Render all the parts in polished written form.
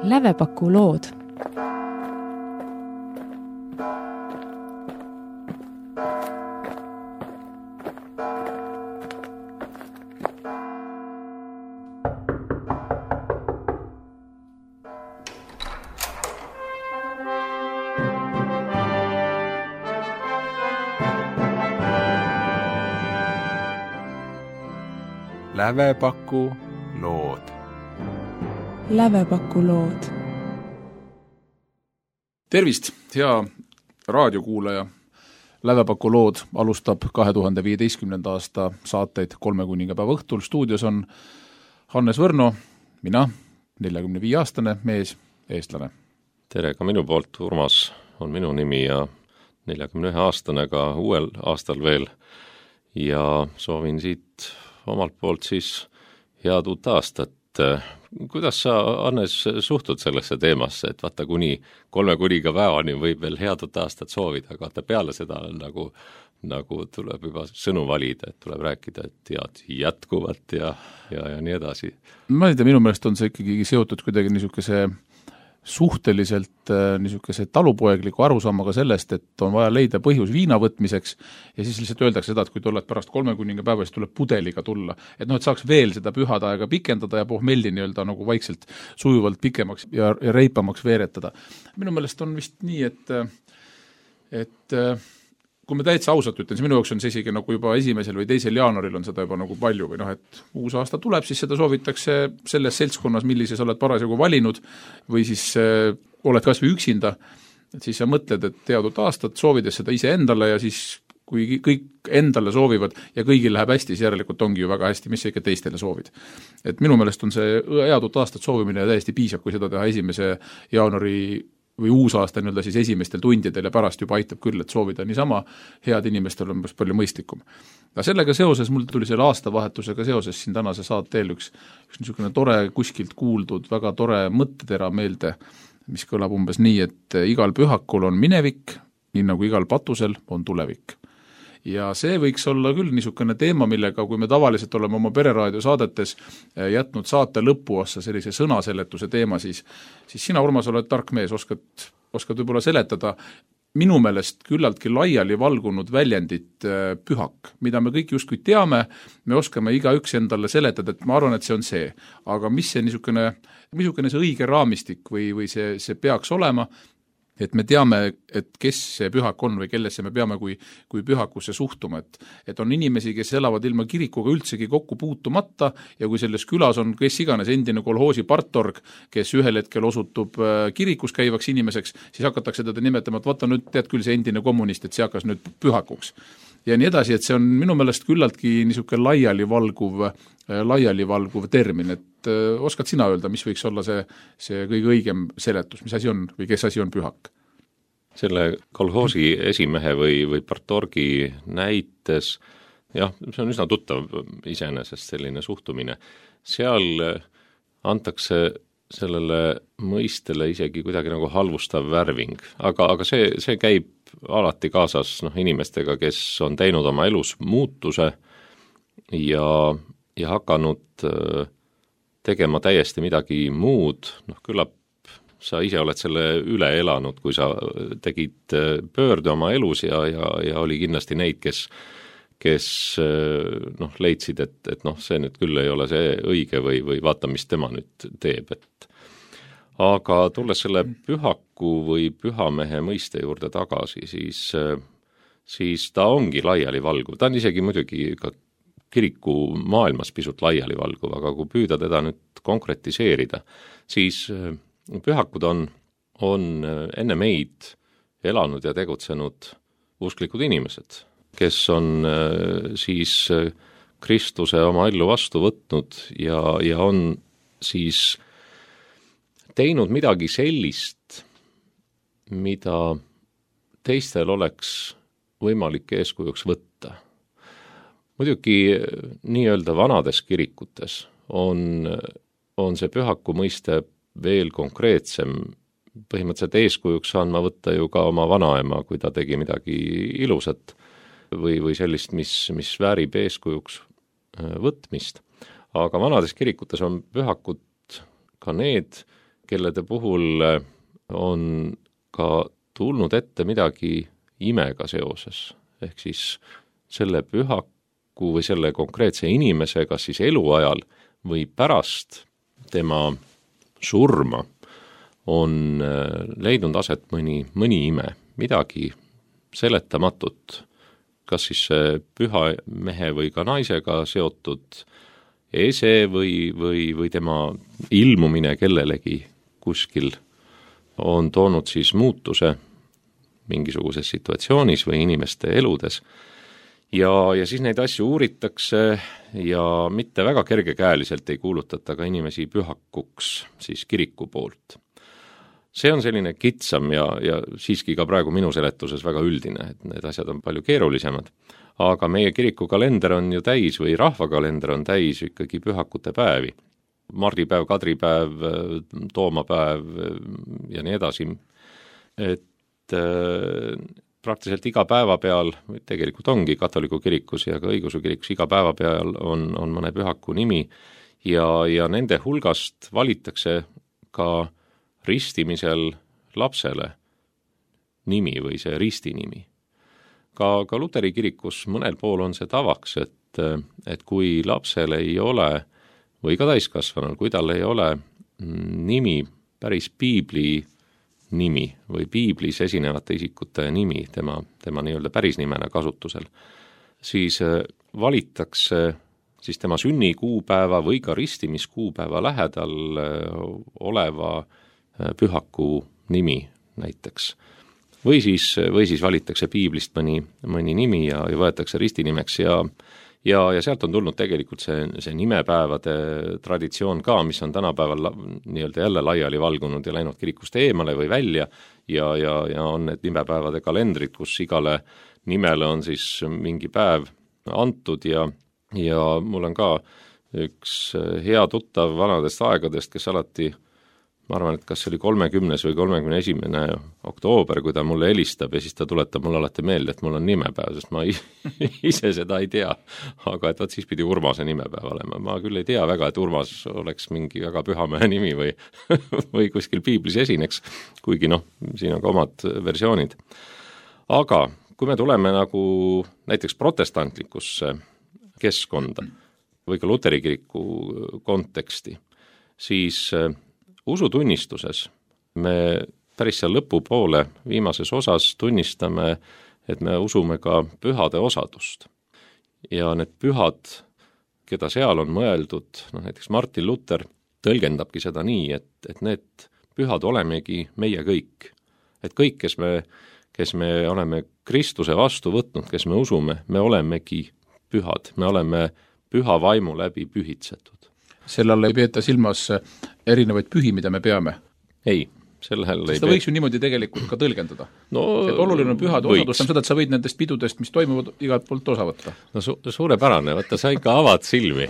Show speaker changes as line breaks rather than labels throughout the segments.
Lävepaku lood.
Lävepaku lood.
Lävepaku lood.
Tervist, hea raadiokuulaja. Lävepaku lood alustab 2015. aasta saateid 3 kuningapäeva õhtul. Stuudios on Hannes Võrno, mina, 45-aastane mees, eestlane.
Tere ka minu poolt, Urmas on minu nimi ja 41-aastane ka uuel aastal veel. Ja soovin siit omalt poolt siis head uut aastat. Kuidas sa, Hannes, suhtud sellesse teemasse, et vaata kuni 3 kuningapäevani võib veel head uut aastat soovida, aga vaata peale seda nagu tuleb juba sõnu valida, et tuleb rääkida, et head jätkuvat ja nii edasi.
Ma ei tea, minu meelest on see ikkagi seotud kuidagi niisuguse suhteliselt niisuguse talupoegliku arusaamaga sellest, et on vaja leida põhjus viina võtmiseks ja siis lihtsalt öeldakse seda, et kui tuled pärast 3 kuningapäeva, siis tuleb pudeliga tulla. Et saaks veel seda pühade aega pikendada ja pohmelli nii-öelda nagu vaikselt sujuvalt pikemaks ja reipamaks veeretada. Minu meelest on vist nii, et kui me täitsa ausalt ütlen, siis minu jaoks on see isegi nagu juba 1. või 2. jaanuaril on seda juba nagu palju või et uus aasta tuleb, siis seda soovitakse selles seltskonnas, millises oled parasjagu valinud või siis oled kas või üksinda, et siis sa mõtled, et head uut aastat, soovides seda ise endale ja siis kui kõik endale soovivad ja kõigil läheb hästi, siis järelikult ongi ju väga hästi, mis sa ikka teistele soovid. Et minu meelest on see head uut aastat soovimine täiesti piisab, kui seda teha 1. jaanuari või uus aasta nii-öelda siis esimestel tundidel ja pärast juba aitab küll, et soovida niisama head inimestel on palju mõistlikum. Aga sellega seoses mul tuli selle aastavahetusega seoses siin tänase saateel üks niisugune tore kuskilt kuuldud, väga tore mõttetera meelde, mis kõlab umbes nii, et igal pühakul on minevik, nii nagu igal patusel on tulevik. Ja see võiks olla küll niisugune teema, millega kui me tavaliselt oleme oma pereraadio saadetes jätnud saate lõpuossa sellise sõnaseletuse teema, siis sina, Urmas, oled tark mees, oskad võib-olla seletada minu meelest küllaltki laiali valgunud väljendit pühak, mida me kõik justkui teame, me oskame igaüks endale seletada, et ma arvan, et see on see. Aga mis see niisugune see õige raamistik või see peaks olema, et me teame, et kes see pühak on või kellesse me peame kui pühakusse suhtuma, et on inimesi, kes elavad ilma kirikuga üldsegi kokku puutumata ja kui selles külas on kes iganes endine kolhoosi partorg, kes ühel hetkel osutub kirikus käivaks inimeseks, siis hakatakse teda nimetama, et vaata nüüd tead küll see endine kommunist, et see hakkas nüüd pühakuks. Ja nii edasi, et see on minu meelest küllaltki niisugune laiali valguv termin, et oskad sina öelda, mis võiks olla see kõige õigem seletus, mis asi on või kes asi on pühak?
Selle kolhoosi esimehe või partorgi näites, jah, see on üsna tuttav iseenesest selline suhtumine. Seal antakse sellele mõistele isegi kuidagi nagu halvustav värving, aga see käib alati kaasas inimestega, kes on teinud oma elus muutuse ja hakanud tegema täiesti midagi muud, küllap sa ise oled selle üle elanud, kui sa tegid pöörde oma elus ja oli kindlasti neid, kes leidsid, et see nüüd küll ei ole see õige või vaata, mis tema nüüd teeb. Aga tulles selle pühaku või pühamehe mõiste juurde tagasi, siis ta ongi laialivalguv. Ta on isegi muidugi ka kiriku maailmas pisut laialivalguv, aga kui püüda teda nüüd konkretiseerida, siis pühakud on enne meid elanud ja tegutsenud usklikud inimesed, kes on siis Kristuse oma ellu vastu võtnud ja on siis teinud midagi sellist, mida teistel oleks võimalik eeskujuks võtta. Muidugi nii-öelda vanades kirikutes on see pühaku mõiste veel konkreetsem. Põhimõtteliselt eeskujuks saan ma võtta ju ka oma vanaema, kui ta tegi midagi ilusat või sellist, mis väärib eeskujuks võtmist. Aga vanades kirikutes on pühakud ka need, kellede puhul on ka tulnud ette midagi imega seoses, ehk siis selle pühaku või selle konkreetse inimese, kas siis eluajal või pärast tema surma on leidnud aset mõni ime, midagi seletamatut, kas siis püha mehe või ka naisega seotud ese või tema ilmumine kellelegi kuskil on toonud siis muutuse mingisuguses situatsioonis või inimeste eludes. Ja siis neid asju uuritakse ja mitte väga kergekäeliselt ei kuulutata ka inimesi pühakuks siis kiriku poolt. See on selline kitsam ja siiski ka praegu minu seletuses väga üldine, et need asjad on palju keerulisemad. Aga meie kirikukalender on ju täis või rahvakalender on täis ikkagi pühakute päevi. Mardipäev, Kadripäev, Toomapäev ja nii edasi. Et praktiliselt iga päeva peal, tegelikult ongi katoliku kirikus ja ka õigeusu kirikus iga päeva peal on mõne pühaku nimi ja nende hulgast valitakse ka ristimisel lapsele nimi või see ristinimi. Ka luteri kirikus mõnel pool on see tavaks, et kui lapsel ei ole või ka täiskasvanul, kui tal ei ole nimi, päris piibli nimi või piiblis esinevate isikute nimi, tema nii-öelda päris nimena kasutusel, siis valitakse siis tema sünnikuupäeva või ka ristimiskuupäeva lähedal oleva pühaku nimi näiteks. Või siis valitakse piiblist mõni nimi ja võetakse ristinimeks ja sealt on tulnud tegelikult see nimepäevade traditsioon ka, mis on tänapäeval nii-öelda jälle laiali valgunud ja läinud kirikust eemale või välja ja on need nimepäevade kalendrid, kus igale nimele on siis mingi päev antud ja mul on ka üks hea tuttav vanadest aegadest, kes alati, ma arvan, et kas see oli 30. või 31. oktoober, kui ta mulle helistab ja siis ta tuletab mulle alati meelde, et mul on nimepäev, sest ma ise seda ei tea. Aga et võt siis pidi Urmase nimepäev olema. Ma küll ei tea väga, et Urmas oleks mingi väga pühamehe nimi või kuskil piiblis esineks, kuigi siin on ka omad versioonid. Aga kui me tuleme nagu näiteks protestantlikusse keskkonda või ka luteri kiriku konteksti, siis usutunnistuses me päris seal lõpupoole viimases osas tunnistame, et me usume ka pühade osadust. Ja need pühad, keda seal on mõeldud, näiteks Martin Luther tõlgendabki seda nii, et need pühad olemegi meie kõik. Et kõik, kes me oleme Kristuse vastu võtnud, kes me usume, me olemegi pühad, me oleme püha vaimu läbi pühitsetud.
Selle all ei peeta silmas erinevaid pühi, mida me peame?
Ei, sellel ei
seda võiks ju niimoodi tegelikult ka tõlgendada. Et oluline on pühade osadus, on seda, et sa võid nendest pidudest, mis toimuvad, igalt poolt osa võtta.
Suurepärane, võtta sa ikka avad silmi.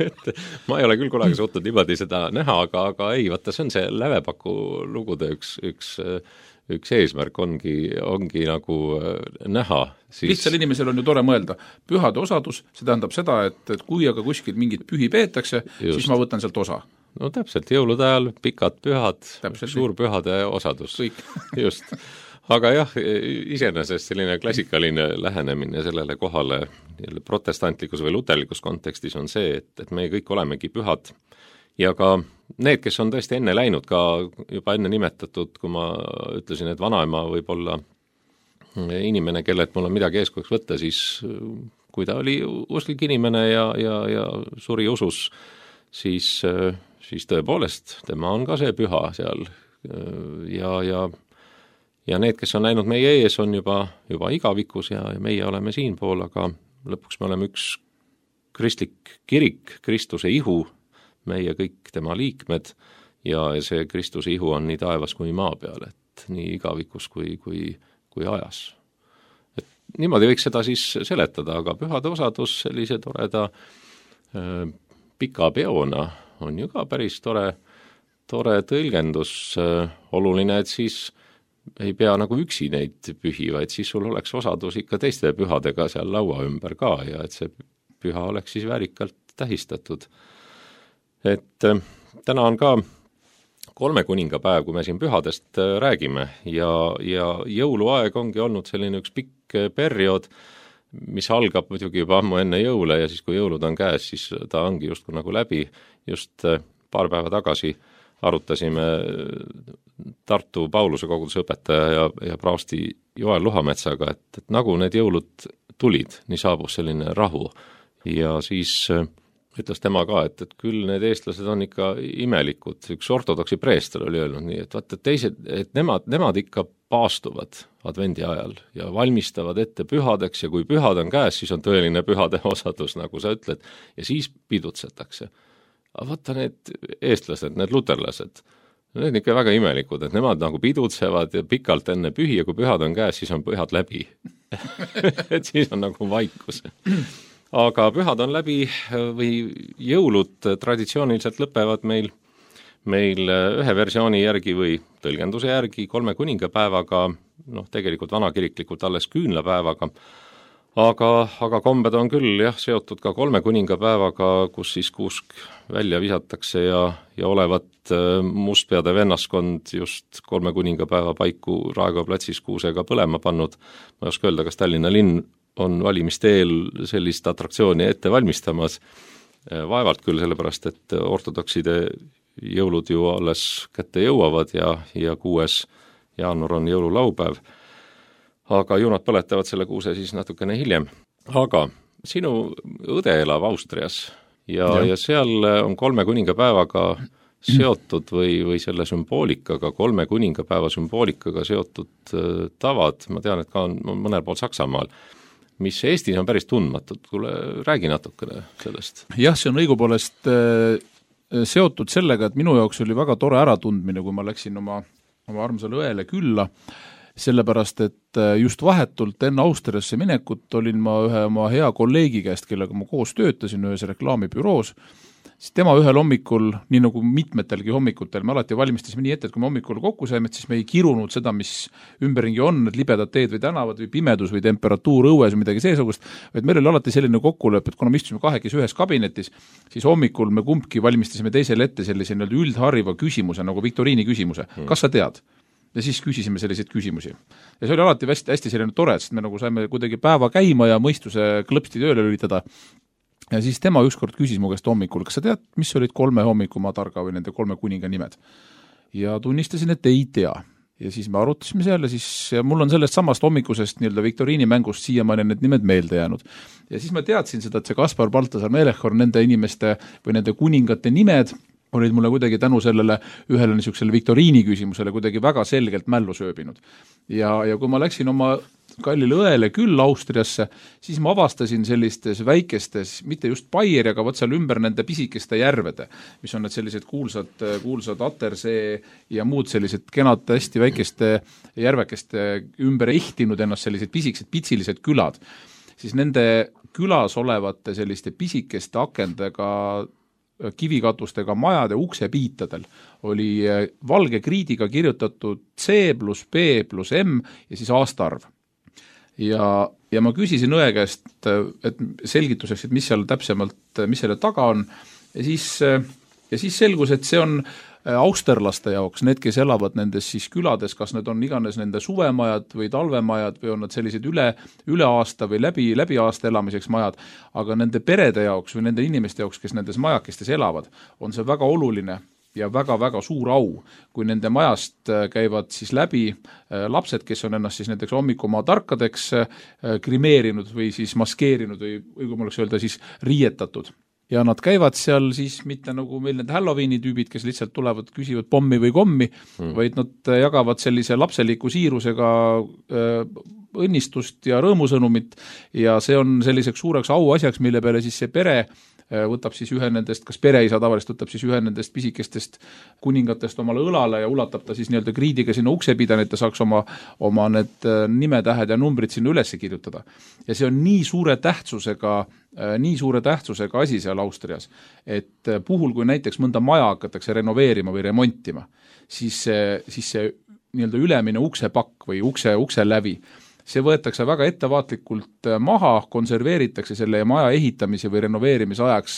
et ma ei ole küll kunagi suutnud niimoodi seda näha, aga ei, võtta see on see Lävepaku lugude üks eesmärk ongi nagu näha.
Lihtsal inimesel on ju tore mõelda. Pühade osadus, see tähendab seda, et kui aga kuskil mingit pühi peetakse, siis ma võtan sealt osa.
No täpselt, jõulude ajal pikad pühad, suurpühade osadus.
Kõik.
Just. Aga jah, iseenesest selline klassikaline lähenemine sellele kohale protestantlikus või luterlikus kontekstis on see, et me kõik olemegi pühad. Ja ka need, kes on tõesti enne läinud, ka juba enne nimetatud, kui ma ütlesin, et vanaema võib olla inimene, kellelt mul on midagi eeskujuks võtta, siis kui ta oli usklik inimene ja suri usus, siis tõepoolest tema on ka see püha seal ja need, kes on näinud meie ees, on juba igavikus ja meie oleme siinpool, aga lõpuks me oleme üks kristlik kirik, Kristuse ihu, meie kõik tema liikmed ja see Kristuse ihu on nii taevas kui maa peal, et nii igavikus kui ajas. Et niimoodi võiks seda siis seletada, aga pühade osadus sellise toreda pika peona on ju ka päris tore tõlgendus. Oluline, et siis ei pea nagu üksi neid pühi, vaid siis sul oleks osadus ikka teiste pühadega seal laua ümber ka ja et see püha oleks siis väärikalt tähistatud. Et täna on ka kolme kuningapäev, kui me siin pühadest räägime ja jõuluaeg ongi olnud selline üks pikk periood, mis algab muidugi juba ammu enne jõule ja siis, kui jõulud on käes, siis ta ongi justkui nagu läbi. Just paar päeva tagasi arutasime Tartu Pauluse koguduse õpetaja ja praosti Joel Luhametsaga, et nagu need jõulud tulid, nii saabus selline rahu ja siis ütles tema ka, et küll need eestlased on ikka imelikud. Üks ortodoksi preester oli öelnud nii, et vaata teised, et nemad ikka paastuvad advendi ajal ja valmistavad ette pühadeks ja kui pühad on käes, siis on tõeline pühade osadus, nagu sa ütled, ja siis pidutsetakse. Aga vaata need eestlased, need luterlased, need on ikka väga imelikud, et nemad nagu pidutsevad ja pikalt enne pühi ja kui pühad on käes, siis on pühad läbi. Et siis on nagu vaikus. Aga pühad on läbi või jõulud traditsiooniliselt lõpevad meil ühe versiooni järgi või tõlgenduse järgi kolme kuningapäevaga, tegelikult vanakiriklikult alles küünlapäevaga, aga kombed on küll seotud ka kolme kuningapäevaga, kus siis kuusk välja visatakse ja olevat mustpeade vennaskond just kolme kuningapäeva paiku Raekoja platsis kuusega põlema pannud. Ma ei oska öelda, kas Tallinna linn on valimisteel sellist atraktsiooni ette valmistamas. Vaevalt küll, sellepärast, et ortodokside jõulud ju alles kätte jõuavad ja 6. jaanuar on jõululaupäev. Aga ju nad põletavad selle kuuse siis natukene hiljem. Aga sinu õde elab Austrias ja seal on kolme kuningapäevaga seotud või selle sümboolikaga, kolme kuningapäeva sümboolikaga seotud tavad, ma tean, et ka on mõnel pool Saksamaal, mis Eestis on päris tundmatud. Kuule, räägi natukene sellest.
Jah, see on õigupoolest seotud sellega, et minu jaoks oli väga tore äratundmine, kui ma läksin oma armsale õele külla, sellepärast, et just vahetult enne Austriasse minekut olin ma ühe oma hea kolleegi käest, kellega ma koos töötasin ühes reklaamibüroos, siis tema ühel hommikul, nii nagu mitmetelgi hommikutel, me alati valmistasime nii ette, et kui me hommikul kokku saime, siis me ei kirunud seda, mis ümberringi on, need libedad teed või tänavad või pimedus või temperatuur õues või midagi seesugust, vaid meil oli alati selline kokkulepe, et kuna me istusime kahekesi ühes kabinetis, siis hommikul me kumbki valmistasime teisele ette sellise üldharriva küsimuse, nagu viktoriini küsimuse. Kas sa tead? Ja siis küsisime selliseid küsimusi. Ja see oli alati hästi selline tore, sest me nagu saime kuidagi päeva käima ja mõistuse klõpsti tööle lülitada. Ja siis tema ükskord küsis mu käest hommikul, kas sa tead, mis olid 3 hommikumaa targa või nende 3 kuninga nimed? Ja tunnistasin, et ei tea. Ja siis me arutasime seal ja mul on sellest samast hommikusest viktoriini mängust siiamaani need nimed meelde jäänud. Ja siis ma teadsin seda, et see Kaspar, Baltasar, Melchior, nende inimeste või nende kuningate nimed olid mulle kuidagi tänu sellele ühele niisugusele viktoriini küsimusele kuidagi väga selgelt mällu sööbinud. Ja kui ma läksin oma kallile õele küll Austriasse, siis ma avastasin sellistes väikestes, mitte just Baieri, aga seal ümber nende pisikeste järvede, mis on need sellised kuulsad Attersee ja muud sellised kenad hästi väikeste järvekeste ümber ehtinud ennast sellised pisikesed pitsilised külad, siis nende külas olevate selliste pisikeste akendega kivikatustega majade uksepiitadel oli valge kriidiga kirjutatud C + B + M ja siis aastaarv. Ja ma küsisin õe käest, et selgituseks, et mis seal täpsemalt, mis selle taga on, ja siis selgus, et see on austerlaste jaoks, need, kes elavad nendes siis külades, kas need on iganes nende suvemajad või talvemajad või on nad sellised üle aasta või läbi aasta elamiseks majad, aga nende perede jaoks või nende inimeste jaoks, kes nendes majakestes elavad, on see väga oluline ja väga-väga suur au, kui nende majast käivad siis läbi lapsed, kes on ennast siis näiteks hommikumaa tarkadeks grimeerinud või siis maskeerinud või kui ma oleks öelda siis riietatud. Ja nad käivad seal siis mitte nagu meil need Halloweeni tüübid, kes lihtsalt tulevad, küsivad pommi või kommi, vaid nad jagavad sellise lapseliku siirusega õnnistust ja rõõmusõnumit ja see on selliseks suureks auasjaks, mille peale siis see pere võtab siis ühe nendest, kas pereisa tavaliselt võtab siis ühe nendest pisikestest kuningatest omale õlale ja ulatab ta siis nii-öelda kriidiga sinna uksepidane, et ta saaks oma need nimetähed ja numbrid sinna üles kirjutada. Ja see on nii suure tähtsusega asi seal Austrias, et puhul, kui näiteks mõnda maja hakatakse renoveerima või remontima, siis see nii-öelda ülemine uksepakk või ukse lävi, see võetakse väga ettevaatlikult maha, konserveeritakse selle maja ehitamise või renoveerimise ajaks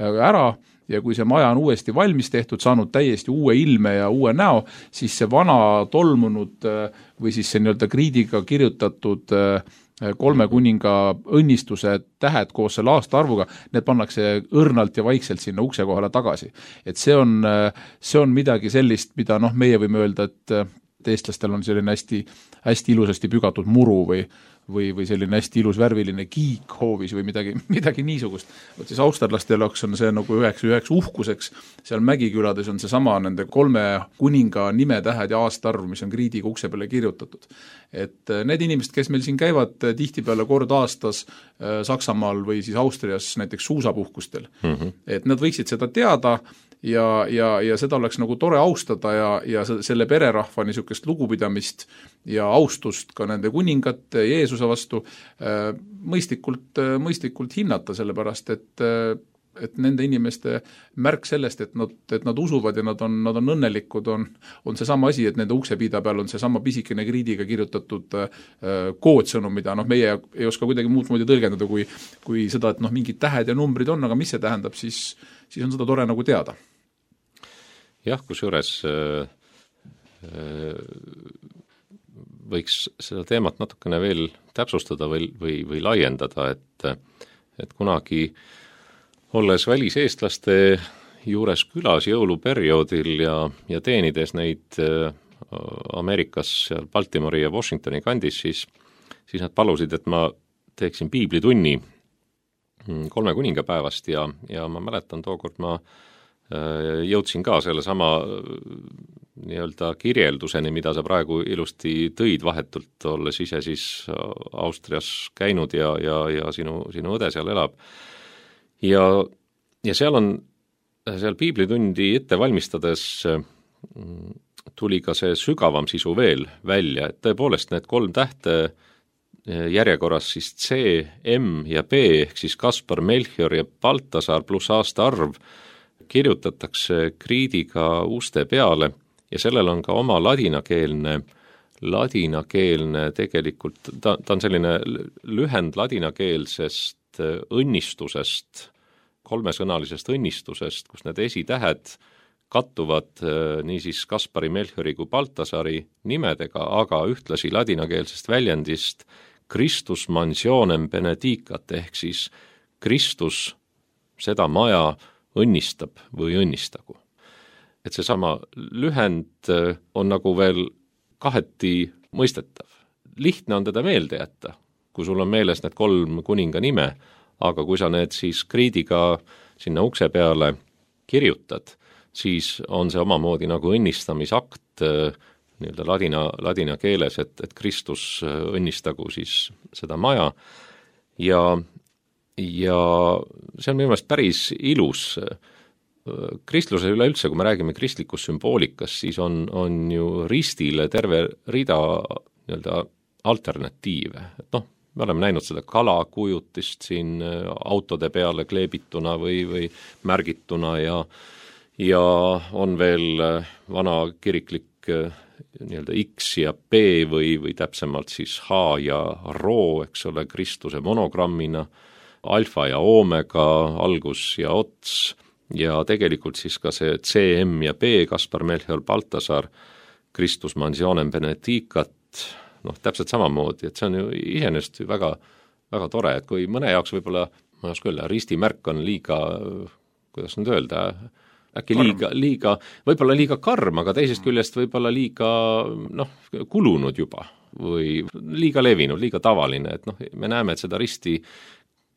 ära ja kui see maja on uuesti valmis tehtud, saanud täiesti uue ilme ja uue näo, siis see vana tolmunud või siis see nii-öelda kriidiga kirjutatud 3 kuninga õnnistuse tähed koos selle aastaarvuga, need pannakse õrnalt ja vaikselt sinna ukse kohale tagasi. Et see on midagi sellist, mida meie võime öelda, et eestlastel on selline hästi ilusasti pügatud muru või selline hästi ilus värviline kiik hoovis või midagi niisugust. Võt siis austerlastel on see nagu üheks uhkuseks, seal Mägikülades on see sama nende 3 kuninga nimetähed ja aastaarv, mis on kriidiga ukse peale kirjutatud. Et need inimesed, kes meil siin käivad tihtipeale kord aastas Saksamaal või siis Austrias näiteks suusapuhkustel, et nad võiksid seda teada ja seda oleks nagu tore austada ja selle pererahva niisugust lugupidamist ja austust ka nende kuningate Jeesuse vastu mõistlikult hinnata, sellepärast et nende inimeste märk sellest, et nad usuvad ja nad on õnnelikud, on seesama asi, et nende uksepiida peal on seesama pisikene kriidiga kirjutatud koodsõnum, mida meie ei oska kuidagi muud moodi tõlgendada kui seda, et mingid tähed ja numbrid on, aga mis see tähendab, siis on seda tore nagu teada.
Jah, kusjuures võiks seda teemat natukene veel täpsustada või laiendada, et kunagi olles väliseestlaste juures külas jõuluperioodil ja teenides neid Ameerikas seal Baltimori ja Washingtoni kandis, siis nad palusid, et ma teeksin piiblitunni 3 kuningapäevast ja ma mäletan tookord ma jõudsin ka selle sama nii-öelda kirjelduseni, mida sa praegu ilusti tõid vahetult, olles ise siis Austrias käinud ja sinu õde seal elab. Ja seal piiblitundi ette valmistades tuli ka see sügavam sisu veel välja, et tõepoolest need 3 tähte järjekorras siis C, M ja B ehk siis Kaspar, Melchior ja Baltasar pluss aastaarv kirjutatakse kriidiga uste peale ja sellel on ka oma ladinakeelne tegelikult, ta on selline lühend ladinakeelsest õnnistusest, 3-sõnalisest õnnistusest, kus need esitähed kattuvad niisiis Kaspari, Melchiori kui Baltasari nimedega, aga ühtlasi ladinakeelsest väljendist Christus mansionem benedicat ehk siis Kristus seda maja õnnistab või õnnistagu. Et seesama lühend on nagu veel kaheti mõistetav. Lihtne on teda meelde jätta, kui sul on meeles need 3 kuninga nime, aga kui sa need siis kriidiga sinna ukse peale kirjutad, siis on see omamoodi nagu õnnistamisakt nii-öelda ladina keeles, et Kristus õnnistagu siis seda maja ja see on minu meelest päris ilus. Kristluse üleüldse, kui me räägime kristlikust sümboolikast, siis on ju ristile terve rida nii-öelda alternatiive. Me oleme näinud seda kalakujutist siin autode peale kleebituna või märgituna ja on veel vana kiriklik nii-öelda X ja B või täpsemalt siis H ja Rho, eks ole, Kristuse monogrammina, alfa ja oomega, algus ja ots ja tegelikult siis ka see C, M ja B, Kaspar, Melchior, Baltasar, Kristus mansionem benedicat, täpselt samamoodi, et see on ju iseenesest väga, väga tore, et kui mõne jaoks võib-olla, ma ei oska öelda, ristimärk on liiga, kuidas nüüd öelda, äkki võib-olla liiga karm, aga teisest küljest võib-olla liiga kulunud juba või liiga levinud, liiga tavaline, et me näeme, et seda risti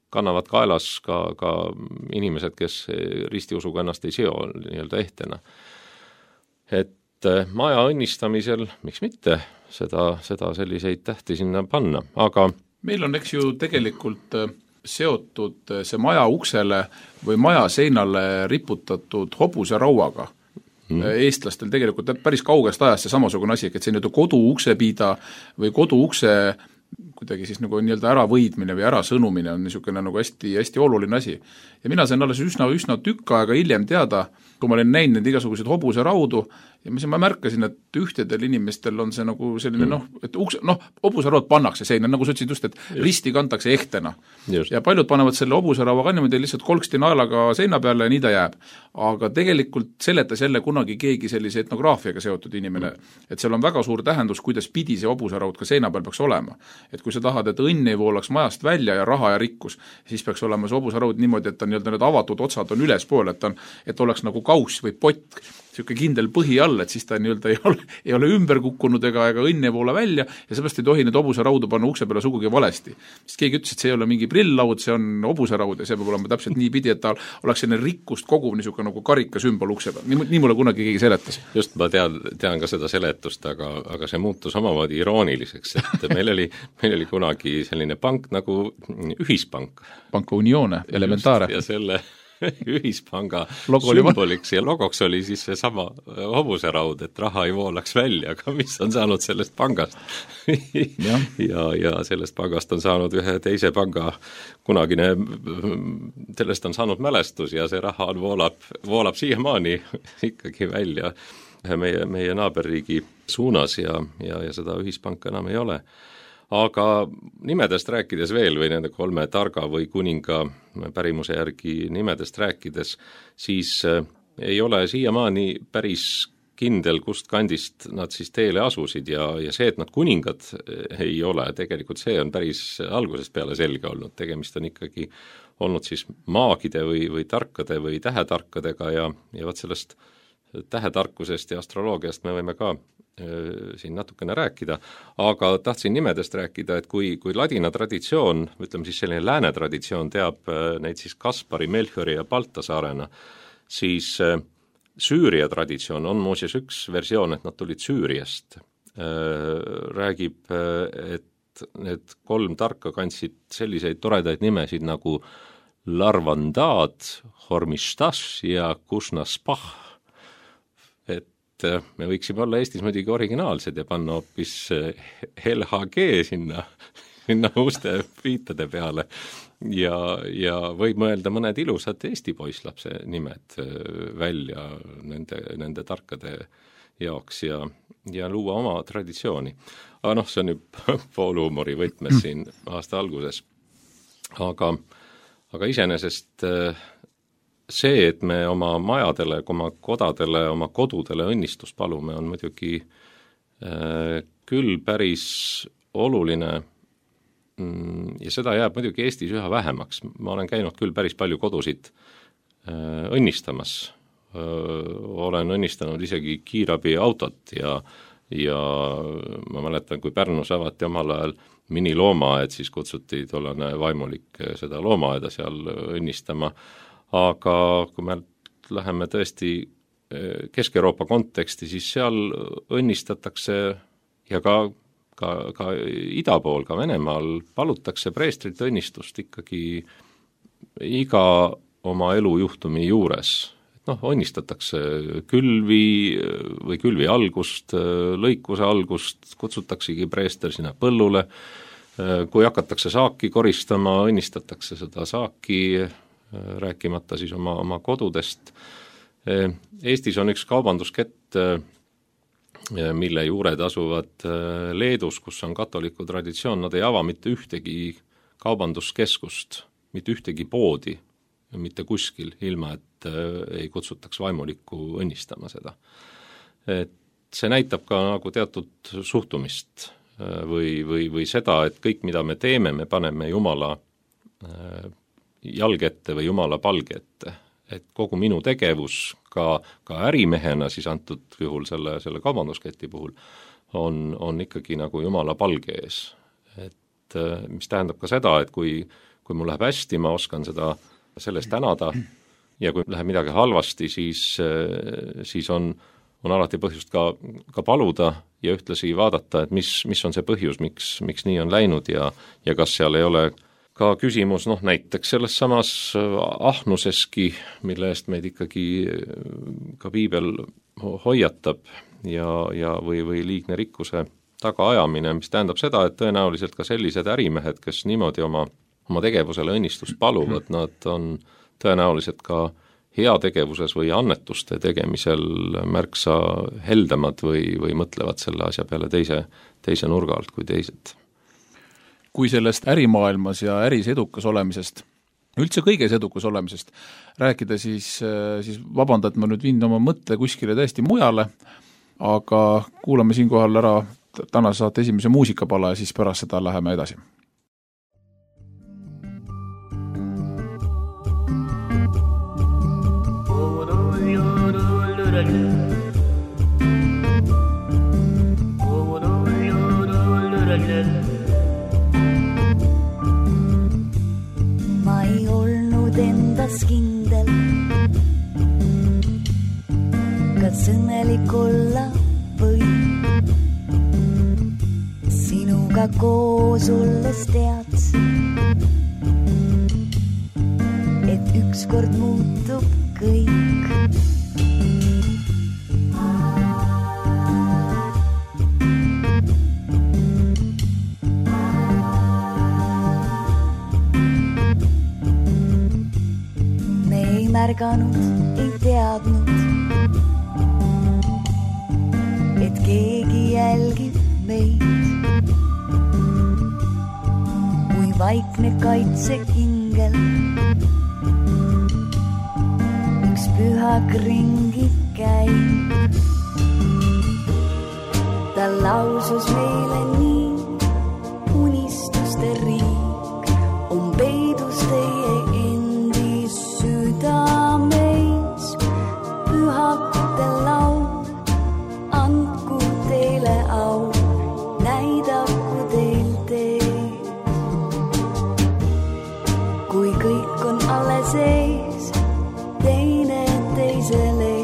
kannavad kaelas ka inimesed, kes ristiusuga ennast ei seo nii-öelda ehtena. Et maja õnnistamisel, miks mitte, seda selliseid tähti sinna panna, aga
meil on, eks ju, tegelikult seotud see maja uksele või maja seinale riputatud hobuserauaga. Eestlastel tegelikult päris kaugest ajast see samasugune asi, et see nii-öelda koduuksepiida või koduukse kuidagi siis nagu nii-öelda äravõidmine või ärasõnumine on niisugune nagu hästi, hästi oluline asi. Ja mina sain alles üsna tükk aega hiljem teada, kui ma olin näinud need igasugused hobuseraudu ja mis ma märkasin, et ühtedel inimestel on see nagu selline et hobuseraud pannakse seina, nagu sa ütlesid just, et risti kantakse ehtena. Ja paljud panevad selle hobuseraua ka niimoodi lihtsalt kolksti naelaga seina peale ja nii ta jääb. Aga tegelikult seletas jälle kunagi keegi sellise etnograafiaga seotud inimene, et seal on väga suur tähendus, kuidas pidi see hobuseraud ka seina peal peaks olema. Et kui sa tahad, et õnn ei voolaks majast välja ja raha ja rikkus, siis peaks olema see hobuseraud niimoodi, et need avatud otsad on ülespool, et oleks nagu kauss või pott, niisugune kindel põhi all, et siis ta ei ole ümber kukkunud ega õnn ei voola välja ja seepärast ei tohi need hobusaraudu panna ukse peale sugugi valesti. Sest keegi ütles, et see ei ole mingi prilllaud, see on hobuseraud ja see peab olema täpselt nii pidi, et ta oleks selline rikkust koguv niisugune nagu karika sümbol ukse peal. Nii mulle kunagi keegi seletas.
Just, ma tean ka seda seletust, aga see muutus omamoodi irooniliseks, et meil oli kunagi selline pank nagu Ühispank.
Panka Unione, Elementaare.
Ja selle Ühispanga sümboliks ja logoks oli siis see sama hobuseraud, et raha ei voolaks välja, aga mis on saanud sellest pangast? ja sellest pangast on saanud ühe teise panga kunagine, sellest on saanud mälestus ja see raha voolab siiamaani ikkagi välja meie naaberriigi suunas ja seda Ühispanka enam ei ole. Aga nimedest rääkides veel või nende 3 targa või kuninga pärimuse järgi nimedest rääkides, siis ei ole siiamaani päris kindel, kust kandist nad siis teele asusid ja see, et nad kuningad ei ole, tegelikult see on päris algusest peale selge olnud. Tegemist on ikkagi olnud siis maagide või tarkade või tähetarkadega ja võt sellest tähetarkusest ja astroloogiast me võime ka siin natukene rääkida, aga tahtsin nimedest rääkida, et kui ladina traditsioon, ütleme siis selline lääne traditsioon teab neid siis Kaspari, Melchiori ja Baltasaarena, siis Süüria traditsioon on muuseas üks versioon, et nad tulid Süüriast. Räägib, et need 3 tarka kandsid selliseid toredaid nimesid nagu Larvandad, Hormistas ja Kusnaspah. Me võiksime olla Eestis muidugi originaalsed ja panna hoopis LHG sinna uste viitade peale ja võib mõelda mõned ilusad Eesti poisslapse nimed välja nende tarkade jaoks ja luua oma traditsiooni. Aga see on ju poolhuumori võtmes siin aasta alguses. Aga iseenesest see, et me oma majadele, oma kodadele, oma kodudele õnnistust palume, on muidugi küll päris oluline ja seda jääb muidugi Eestis üha vähemaks. Ma olen käinud küll päris palju kodusid õnnistamas. Olen õnnistanud isegi kiirabi autot ja ma mäletan, kui Pärnus avati omal ajal miniloomaed, siis kutsuti tollane vaimulik seda loomaaeda seal õnnistama. Aga kui me läheme tõesti Kesk-Euroopa konteksti, siis seal õnnistatakse ja ka ida pool, ka Venemaal palutakse preestrit õnnistust ikkagi iga oma elujuhtumi juures. Õnnistatakse külvi algust, lõikuse algust, kutsutaksegi preester sinna põllule. Kui hakatakse saaki koristama, õnnistatakse seda saaki, rääkimata siis oma kodudest. Eestis on üks kaubanduskett, mille juured asuvad Leedus, kus on katoliku traditsioon, nad ei ava mitte ühtegi kaubanduskeskust, mitte ühtegi poodi, mitte kuskil, ilma et ei kutsutaks vaimulikku õnnistama seda. Et see näitab ka nagu teatud suhtumist või seda, et kõik, mida me teeme, me paneme Jumala jalg ette või Jumala palge ette. Et kogu minu tegevus ka ärimehena siis antud juhul selle kaubandusketi puhul on ikkagi nagu Jumala palge ees. Et mis tähendab ka seda, et kui mul läheb hästi, ma oskan sellest tänada ja kui läheb midagi halvasti, siis on alati põhjust ka paluda ja ühtlasi vaadata, et mis on see põhjus, miks nii on läinud ja kas seal ei ole ka küsimus, näiteks selles samas ahnuseski, mille eest meid ikkagi ka piibel hoiatab või liigne rikkuse tagaajamine, mis tähendab seda, et tõenäoliselt ka sellised ärimehed, kes niimoodi oma tegevusele õnnistust paluvad, nad on tõenäoliselt ka heategevuses või annetuste tegemisel märksa heldemad või mõtlevad selle asja peale teise nurga alt kui teised.
Kui sellest ärimaailmas ja äris edukas olemisest, üldse kõiges edukas olemisest rääkida, siis vabanda, et ma nüüd viin oma mõtte kuskile täiesti mujale, aga kuulame siinkohal ära tänase saate esimese muusikapala ja siis pärast seda läheme edasi.
Ma ei olnud endas kindel, kas õnnelik olla võib. Sinuga koos olles teadsin, et ükskord muutub kõik. Me ei märganud, ei teadnud, et keegi jälgib meid. Kui vaikne kaitseingel üks pühak ringi käib. Ta lausus meile nii, unistuste riik on peidus teie endi südameis. Pühakute laul, andku teile au, näidaku teil teed. Kui kõik on alles ees, teine teisele,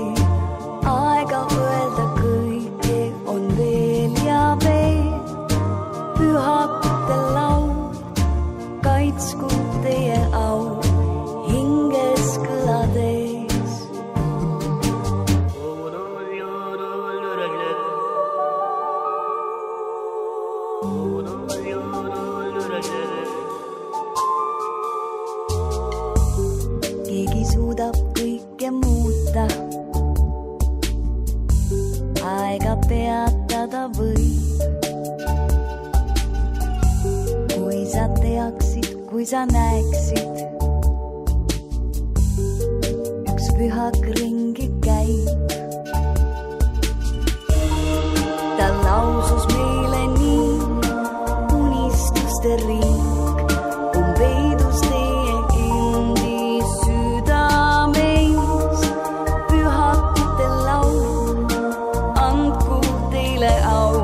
aega öelda kõike on veel ja veel. Pühakute laul, kaitsku teie au, hinges kõlades. Keegi suudab kõike muuta, aega peatada võib. Kui sa teaksid, kui sa näeksid, üks pühak ringi käib. Ta lausus meile nii, unistuste riik on peidus teie endi südameis. Pühakute laul, andku teile au,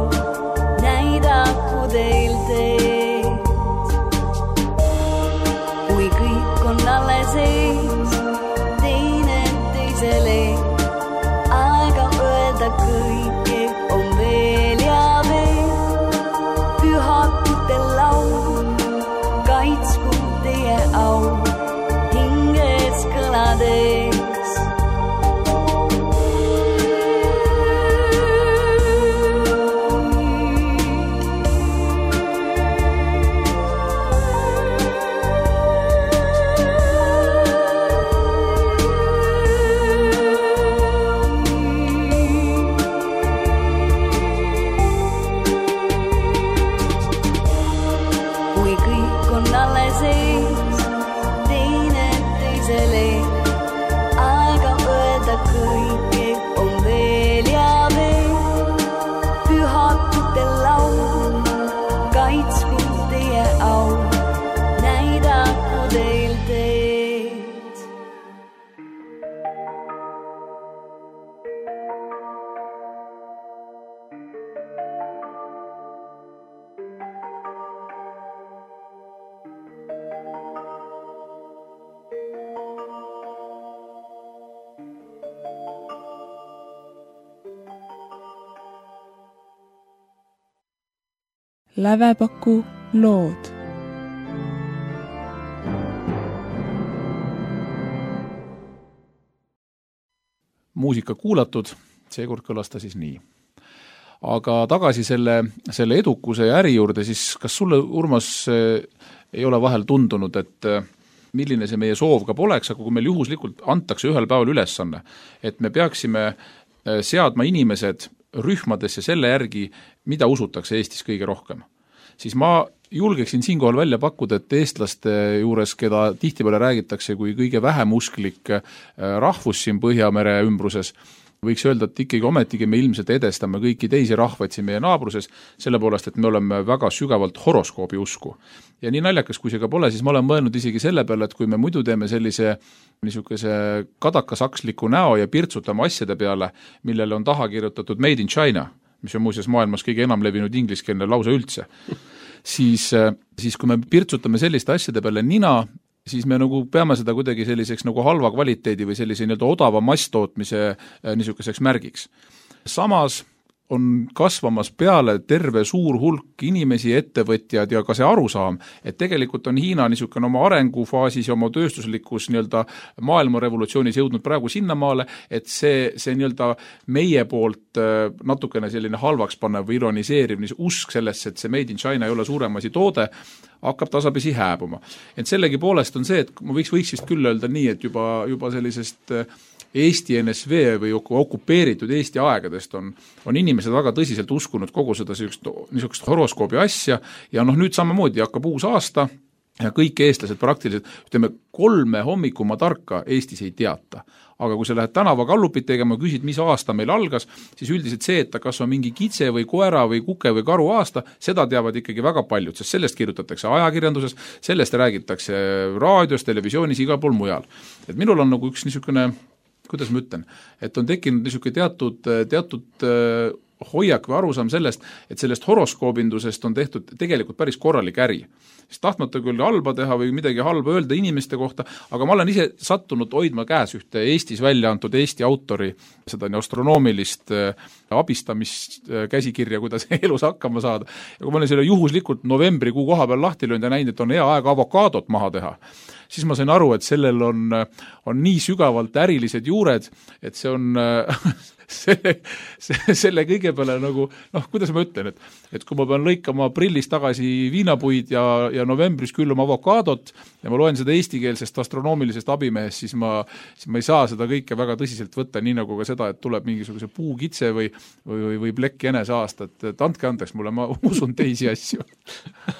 näidaku teil teed. Kui kõik on alles ees, teine teisele, aega öelda kõike on veel ja veel. Pühakute laul, kaitsku teie au, hinges kõlades. Kui kõik on alles ees, teine teisele, aega öelda kõike on veel ja veel. Pühakute laul, kaitsku teie au, näidaku teil teed.
Lävepaku lood.
Muusika kuulatud, seekord kõlas ta siis nii. Aga tagasi selle edukuse ja äri juurde, siis kas sulle, Urmas, ei ole vahel tundunud, et milline see meie soov ka poleks, aga kui meil juhuslikult antakse ühel päeval ülesanne, et me peaksime seadma inimesed rühmadesse selle järgi, mida usutakse Eestis kõige rohkem, siis ma julgeksin siinkohal välja pakkuda, et eestlaste juures, keda tihtipeale räägitakse kui kõige vähem usklik rahvus siin Põhjamere ümbruses, võiks öelda, et ikkagi ometigi me ilmselt edestame kõiki teisi rahvaid siin meie naabruses, selle poolest, et me oleme väga sügavalt horoskoobi usku. Ja nii naljakas, kui see ka pole, siis ma olen mõelnud isegi selle peale, et kui me muidu teeme sellise niisuguse kadakasaksliku näo ja pirtsutame asjade peale, millele on taha kirjutatud Made in China, mis on muuseas maailmas kõige enam levinud ingliskeelne lause üldse, siis kui me pirtsutame selliste asjade peale nina, siis me nagu peame seda kuidagi selliseks nagu halva kvaliteedi või sellise odava masstootmise niisuguseks märgiks. Samas on kasvamas peale terve suur hulk inimesi, ettevõtjad ja ka see arusaam, et tegelikult on Hiina niisugune oma arengufaasis ja oma tööstuslikus maailmarevolutsioonis jõudnud praegu sinnamaale, et see meie poolt natukene selline halvaks pannev või ironiseeriv usk sellesse, et see Made in China ei ole suurem asi toode, hakkab tasapisi hääbuma. Et sellegi poolest on see, et ma võiks vist küll öelda nii, et juba sellisest Eesti NSV või okupeeritud Eesti aegadest on inimesed väga tõsiselt uskunud kogu seda niisugust horoskoobi asja ja nüüd samamoodi hakkab uus aasta ja kõik eestlased praktiliselt, 3 hommikuma tarka Eestis ei teata. Aga kui sa lähed tänavakallupit tegema, küsid, mis aasta meil algas, siis üldiselt see, et kas on mingi kitse või koera või kuke või karu aasta, seda teavad ikkagi väga paljud, sest sellest kirjutatakse ajakirjanduses, sellest räägitakse raadios, televisioonis, igal pool mujal. Et minul on nagu üks niisugune, kuidas ma ütlen, et on tekkinud niisugune teatud hoiak või arusaam sellest, et sellest horoskoobindusest on tehtud tegelikult päris korralik äri. Sest tahtmata küll halba teha või midagi halba öelda inimeste kohta, aga ma olen ise sattunud hoidma käes ühte Eestis välja antud Eesti autori seda astronoomilist abistamist käsikirja, kuidas elus hakkama saada. Ja kui ma olen selle juhuslikult novembrikuu koha peal lahti löönud ja näinud, et on hea aeg avokaadot maha teha, siis ma sain aru, et sellel on nii sügavalt ärilised juured, et see on selle kõige peale nagu, kuidas ma ütlen, et kui ma pean lõikama aprillis tagasi viinapuid ja novembris külluma avokaadot ja ma loen seda eestikeelsest astronoomilisest abimehest, siis ma ei saa seda kõike väga tõsiselt võtta, nii nagu ka seda, et tuleb mingisuguse puukitse või plekk jänese aasta, et andke andeks mulle, ma usun teisi asju.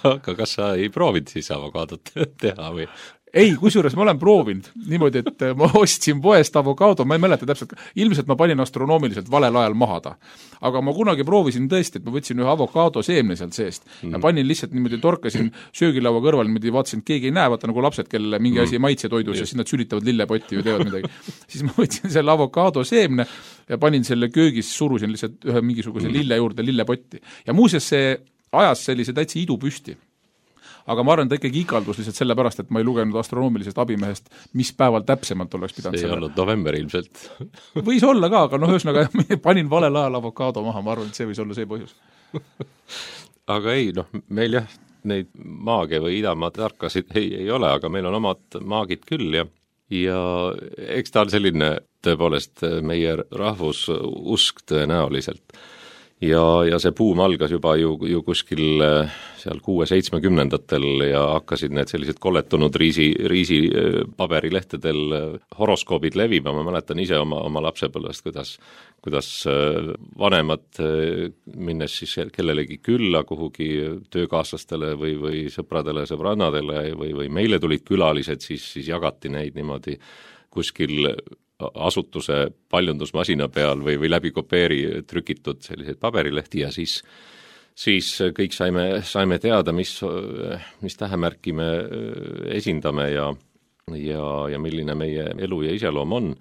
Aga kas sa ei proovinud siis avokaadot teha või?
Ei, kusjuures ma olen proovinud niimoodi, et ma ostsin poest avokaado, ma ei mäleta täpselt, ilmselt ma panin astronoomiliselt valel ajal maha ta. Aga ma kunagi proovisin tõesti, et ma võtsin ühe avokaado seemne sealt seest ja panin lihtsalt niimoodi, torkasin söögilaua kõrval, niimoodi vaatasin, et keegi ei näe, vaata nagu lapsed, kelle mingi asi maitse toidus ja siis nad sülitavad lillepotti või teevad midagi. Siis ma võtsin selle avokaado seemne ja panin selle köögis, surusin lihtsalt ühe mingisuguse lille juurde lillepotti. Ja muuseas see ajas sellise täitsa idu püsti. Aga ma arvan, ta ikkagi ikaldus lihtsalt selle pärast, et ma ei lugenud astronoomilisest abimehest, mis päeval täpsemalt oleks pidanud
see ei olnud november ilmselt.
Võis olla ka, aga ühesõnaga panin valel ajal avokaado maha, ma arvan, et see võis olla see põhjus.
Aga ei, meil jah, neid maage või idamaa tarkasid ei ole, aga meil on omad maagid küll ja eks ta on selline tõepoolest meie rahvususk tõenäoliselt. Ja see buum algas juba ju kuskil seal 6-70-ndatel ja hakkasid need sellised kolletunud riisi paberilehtedel horoskoobid levima, ma mäletan ise oma lapsepõlvest, kuidas vanemad minnes siis kellelegi külla kuhugi töökaaslastele või sõpradele, sõbrannadele või meile tulid külalised, siis jagati neid niimoodi kuskil asutuse paljundusmasina peal või läbi kopeeri trükitud selliseid paberilehti ja siis kõik saime teada, mis tähemärki me esindame ja milline meie elu ja iseloom on.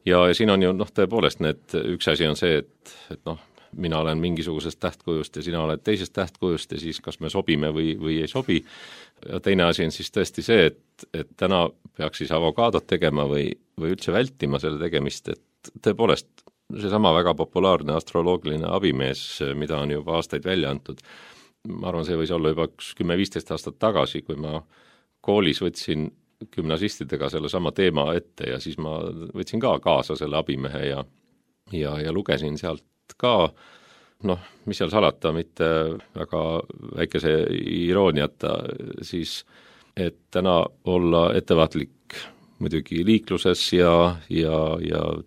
Ja siin on ju tõepoolest üks asi on see, et mina olen mingisugusest tähtkujust ja sina oled teisest tähtkujust ja siis kas me sobime või ei sobi. Ja teine asi on siis tõesti see, et täna peaks siis avokaadot tegema või üldse vältima selle tegemist, et tõepoolest seesama väga populaarne astroloogiline abimees, mida on juba aastaid välja antud. Ma arvan, see võis olla juba 10-15 aastat tagasi, kui ma koolis võtsin gümnasistidega selle sama teema ette ja siis ma võtsin ka kaasa selle abimehe ja lugesin sealt ka, mis seal salata, mitte väga väikese irooniata, siis et täna olla ettevaatlik muidugi liikluses ja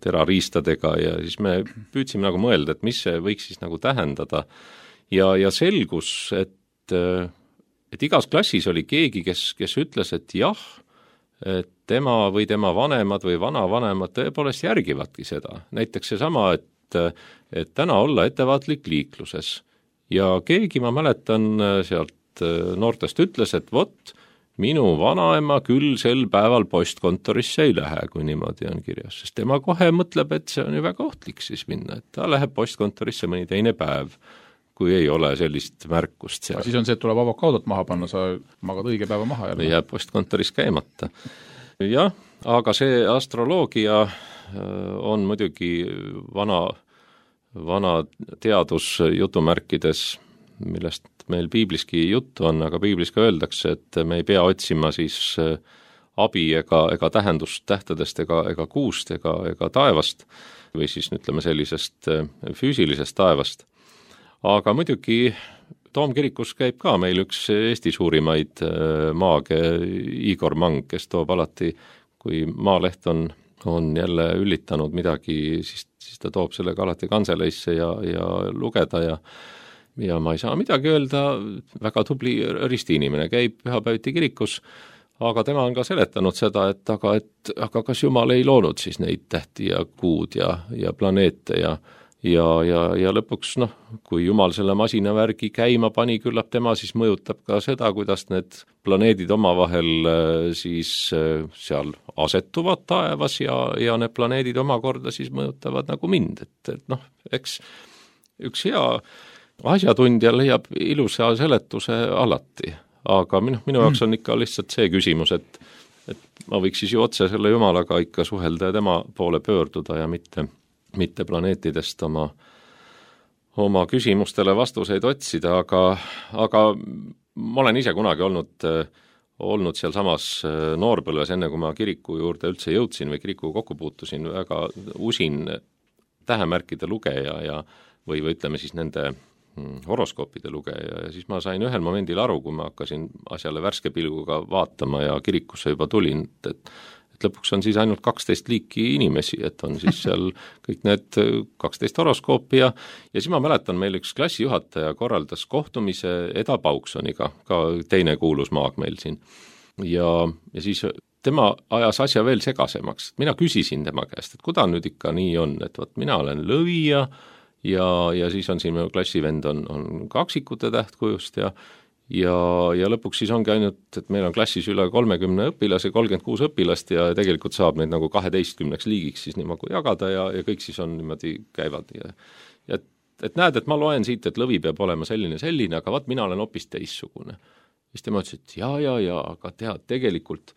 terariistadega ja siis me püüdsime nagu mõelda, et mis see võiks siis nagu tähendada ja selgus, et igas klassis oli keegi, kes ütles, et jah, et tema või tema vanemad või vanavanemad tõepoolest järgivadki seda. Näiteks seesama, et täna olla ettevaatlik liikluses ja keegi, ma mäletan sealt noortest ütles, et vot, minu vanaema küll sel päeval postkontorisse ei lähe, kui niimoodi on kirjas, sest tema kohe mõtleb, et see on ju väga ohtlik siis minna, et ta läheb postkontorisse mõni teine päev, kui ei ole sellist märkust seal.
Siis on see, et tuleb avokaadot maha panna, sa magad õige päeva maha jälle.
Jääb postkontoris käimata. Jah, aga see astroloogia on muidugi vana teadus jutumärkides, millest meil piibliski juttu on, aga piiblis ka öeldakse, et me ei pea otsima siis abi ega tähendust tähtedest ega kuust ega taevast või siis ütleme sellisest füüsilisest taevast. Aga muidugi Toomkirikus käib ka meil üks Eesti suurimaid maage Igor Mang, kes toob alati, kui Maaleht on jälle üllitanud midagi, siis ta toob sellega alati kanseleisse ja lugeda ja ma ei saa midagi öelda, väga tubli ristiinimene, käib pühapäeviti kirikus, aga tema on ka seletanud seda, aga kas Jumal ei loonud siis neid tähti ja kuud ja planeete ja lõpuks, kui Jumal selle masinavärgi käima pani, küllap tema siis mõjutab ka seda, kuidas need planeedid omavahel siis seal asetuvad taevas ja need planeedid omakorda siis mõjutavad nagu mind, et eks üks hea asjatundja leiab ilusa seletuse alati, aga minu jaoks on ikka lihtsalt see küsimus, et ma võiks siis ju otse selle Jumalaga ikka suhelda ja tema poole pöörduda ja mitte planeetidest oma küsimustele vastuseid otsida, aga ma olen ise kunagi olnud seal samas noorpõlves, enne kui ma kiriku juurde üldse jõudsin või kirikuga kokku puutusin, väga usin tähemärkide lugeja või ütleme siis nende horoskoopide lugeja ja siis ma sain ühel momendil aru, kui ma hakkasin asjale värske pilguga vaatama ja kirikusse juba tulin, et lõpuks on siis ainult 12 liiki inimesi, et on siis seal kõik need 12 horoskoopi ja siis ma mäletan, meil üks klassijuhataja korraldas kohtumise Eda Pauksoniga, ka teine kuulus maag meil siin. Ja siis tema ajas asja veel segasemaks. Mina küsisin tema käest, et kuda nüüd ikka nii on, et võt, mina olen lõvija ja siis on siin minu klassivend on kaksikute tähtkujust ja lõpuks siis ongi ainult, et meil on klassis üle 30 õpilase, 36 õpilast ja tegelikult saab neid nagu 12 liigiks siis niimoodi jagada ja kõik siis on niimoodi käivad ja et näed, et ma loen siit, et lõvi peab olema selline, aga vaat mina olen hoopis teissugune. Siis tema ütles, et ja, aga tead, tegelikult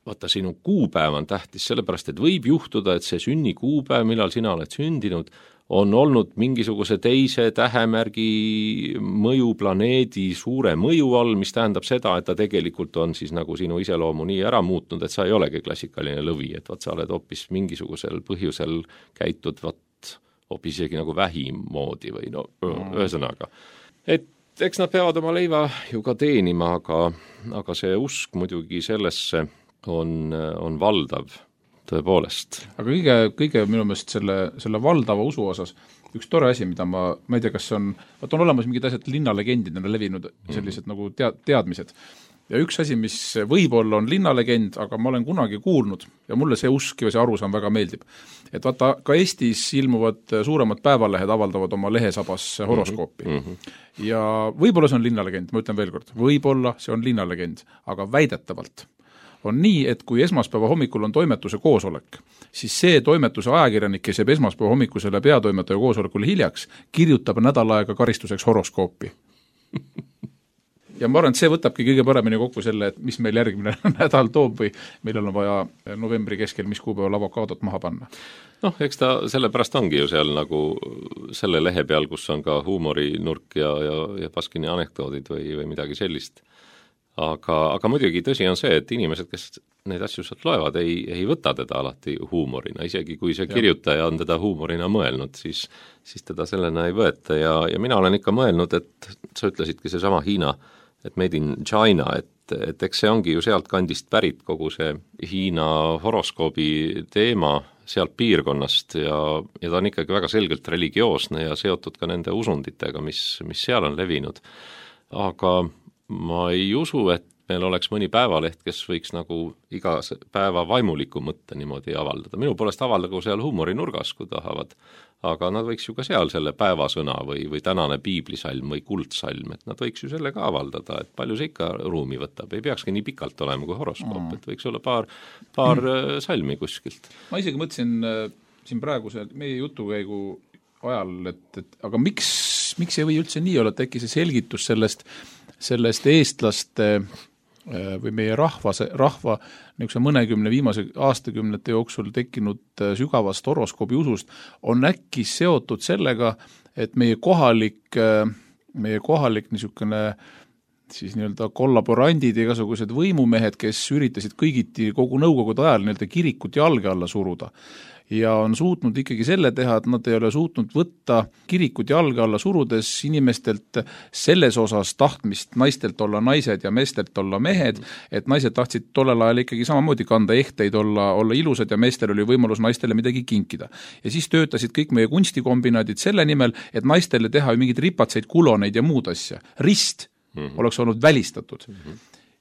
vaata sinu kuupäev on tähtis, sellepärast, et võib juhtuda, et see sünnikuupäev, millal sina oled sündinud, on olnud mingisuguse teise tähemärgi mõju planeedi suure mõju all, mis tähendab seda, et ta tegelikult on siis nagu sinu iseloomu nii ära muutnud, et sa ei olegi klassikaline lõvi, et vaat sa oled hoopis mingisugusel põhjusel käitud hoopis isegi nagu vähimoodi või ühesõnaga. Et eks nad peavad oma leiva ju ka teenima, aga see usk muidugi sellesse on valdav. Tõepoolest.
Aga kõige minu meelest selle valdava usu osas üks tore asi, mida ma ei tea, kas on olemas mingid asjad linnalegendidena levinud sellised nagu teadmised. Ja üks asi, mis võib-olla on linnalegend, aga ma olen kunagi kuulnud ja mulle see usk ja see arusaam väga meeldib. Et vaata, ka Eestis ilmuvad suuremad päevalehed avaldavad oma lehesabas horoskoopi. Ja võib-olla see on linnalegend, ma ütlen veel kord, võib-olla see on linnalegend, aga väidetavalt on nii, et kui esmaspäeva hommikul on toimetuse koosolek, siis see toimetuse ajakirjanik, kes jääb esmaspäeva hommikusele peatoimetaja koosolekule hiljaks, kirjutab nädal aega karistuseks horoskoopi. Ja ma arvan, et see võtabki kõige paremini kokku selle, et mis meil järgmine nädal toob või millal on vaja novembri keskel, mis kuupäeval avokaadot maha panna.
Eks ta sellepärast ongi ju seal nagu selle lehe peal, kus on ka huumorinurk ja Baskini anekdoodid või midagi sellist. Aga muidugi tõsi on see, et inimesed, kes neid asju sealt loevad, ei võta teda alati huumorina, isegi kui see kirjutaja on teda huumorina mõelnud, siis teda sellena ei võeta ja mina olen ikka mõelnud, et sa ütlesidki seesama Hiina, et made in China, et eks see ongi ju sealt kandist pärit kogu see Hiina horoskoobi teema sealt piirkonnast ja ta on ikkagi väga selgelt religioosne ja seotud ka nende usunditega, mis seal on levinud. Aga ma ei usu, et meil oleks mõni päevaleht, kes võiks nagu iga päeva vaimuliku mõtte niimoodi avaldada. Minu poolest avaldagu seal huumorinurgas, kui tahavad, aga nad võiks ju ka seal selle päevasõna või tänane piiblisalm või kuldsalm, et nad võiks ju selle ka avaldada, et palju see ikka ruumi võtab. Ei peakski nii pikalt olema kui horoskoop, et võiks olla paar salmi kuskilt.
Ma isegi mõtlesin siin praeguse meie jutukäigu ajal, et aga miks ei või üldse nii olla, et äkki see selgitus sellest eestlaste või meie rahva niisuguse mõnekümne viimase aastakümnete jooksul tekkinud sügavast horoskoobi usust on äkki seotud sellega, et meie kohalik niisugune siis nii-öelda kollaborandid ja igasugused võimumehed, kes üritasid kõigiti kogu nõukogude ajal nii-öelda kirikut jalge alla suruda ja on suutnud ikkagi selle teha, et nad ei ole suutnud võtta kirikut jalge alla surudes inimestelt selles osas tahtmist naistelt olla naised ja meestelt olla mehed, et naised tahtsid tollel ajal ikkagi samamoodi kanda ehteid, olla ilusad ja meestel oli võimalus naistele midagi kinkida. Ja siis töötasid kõik meie kunstikombinaadid selle nimel, et naistele teha mingeid ripatseid, kuloneid ja muud asja. Rist oleks olnud välistatud.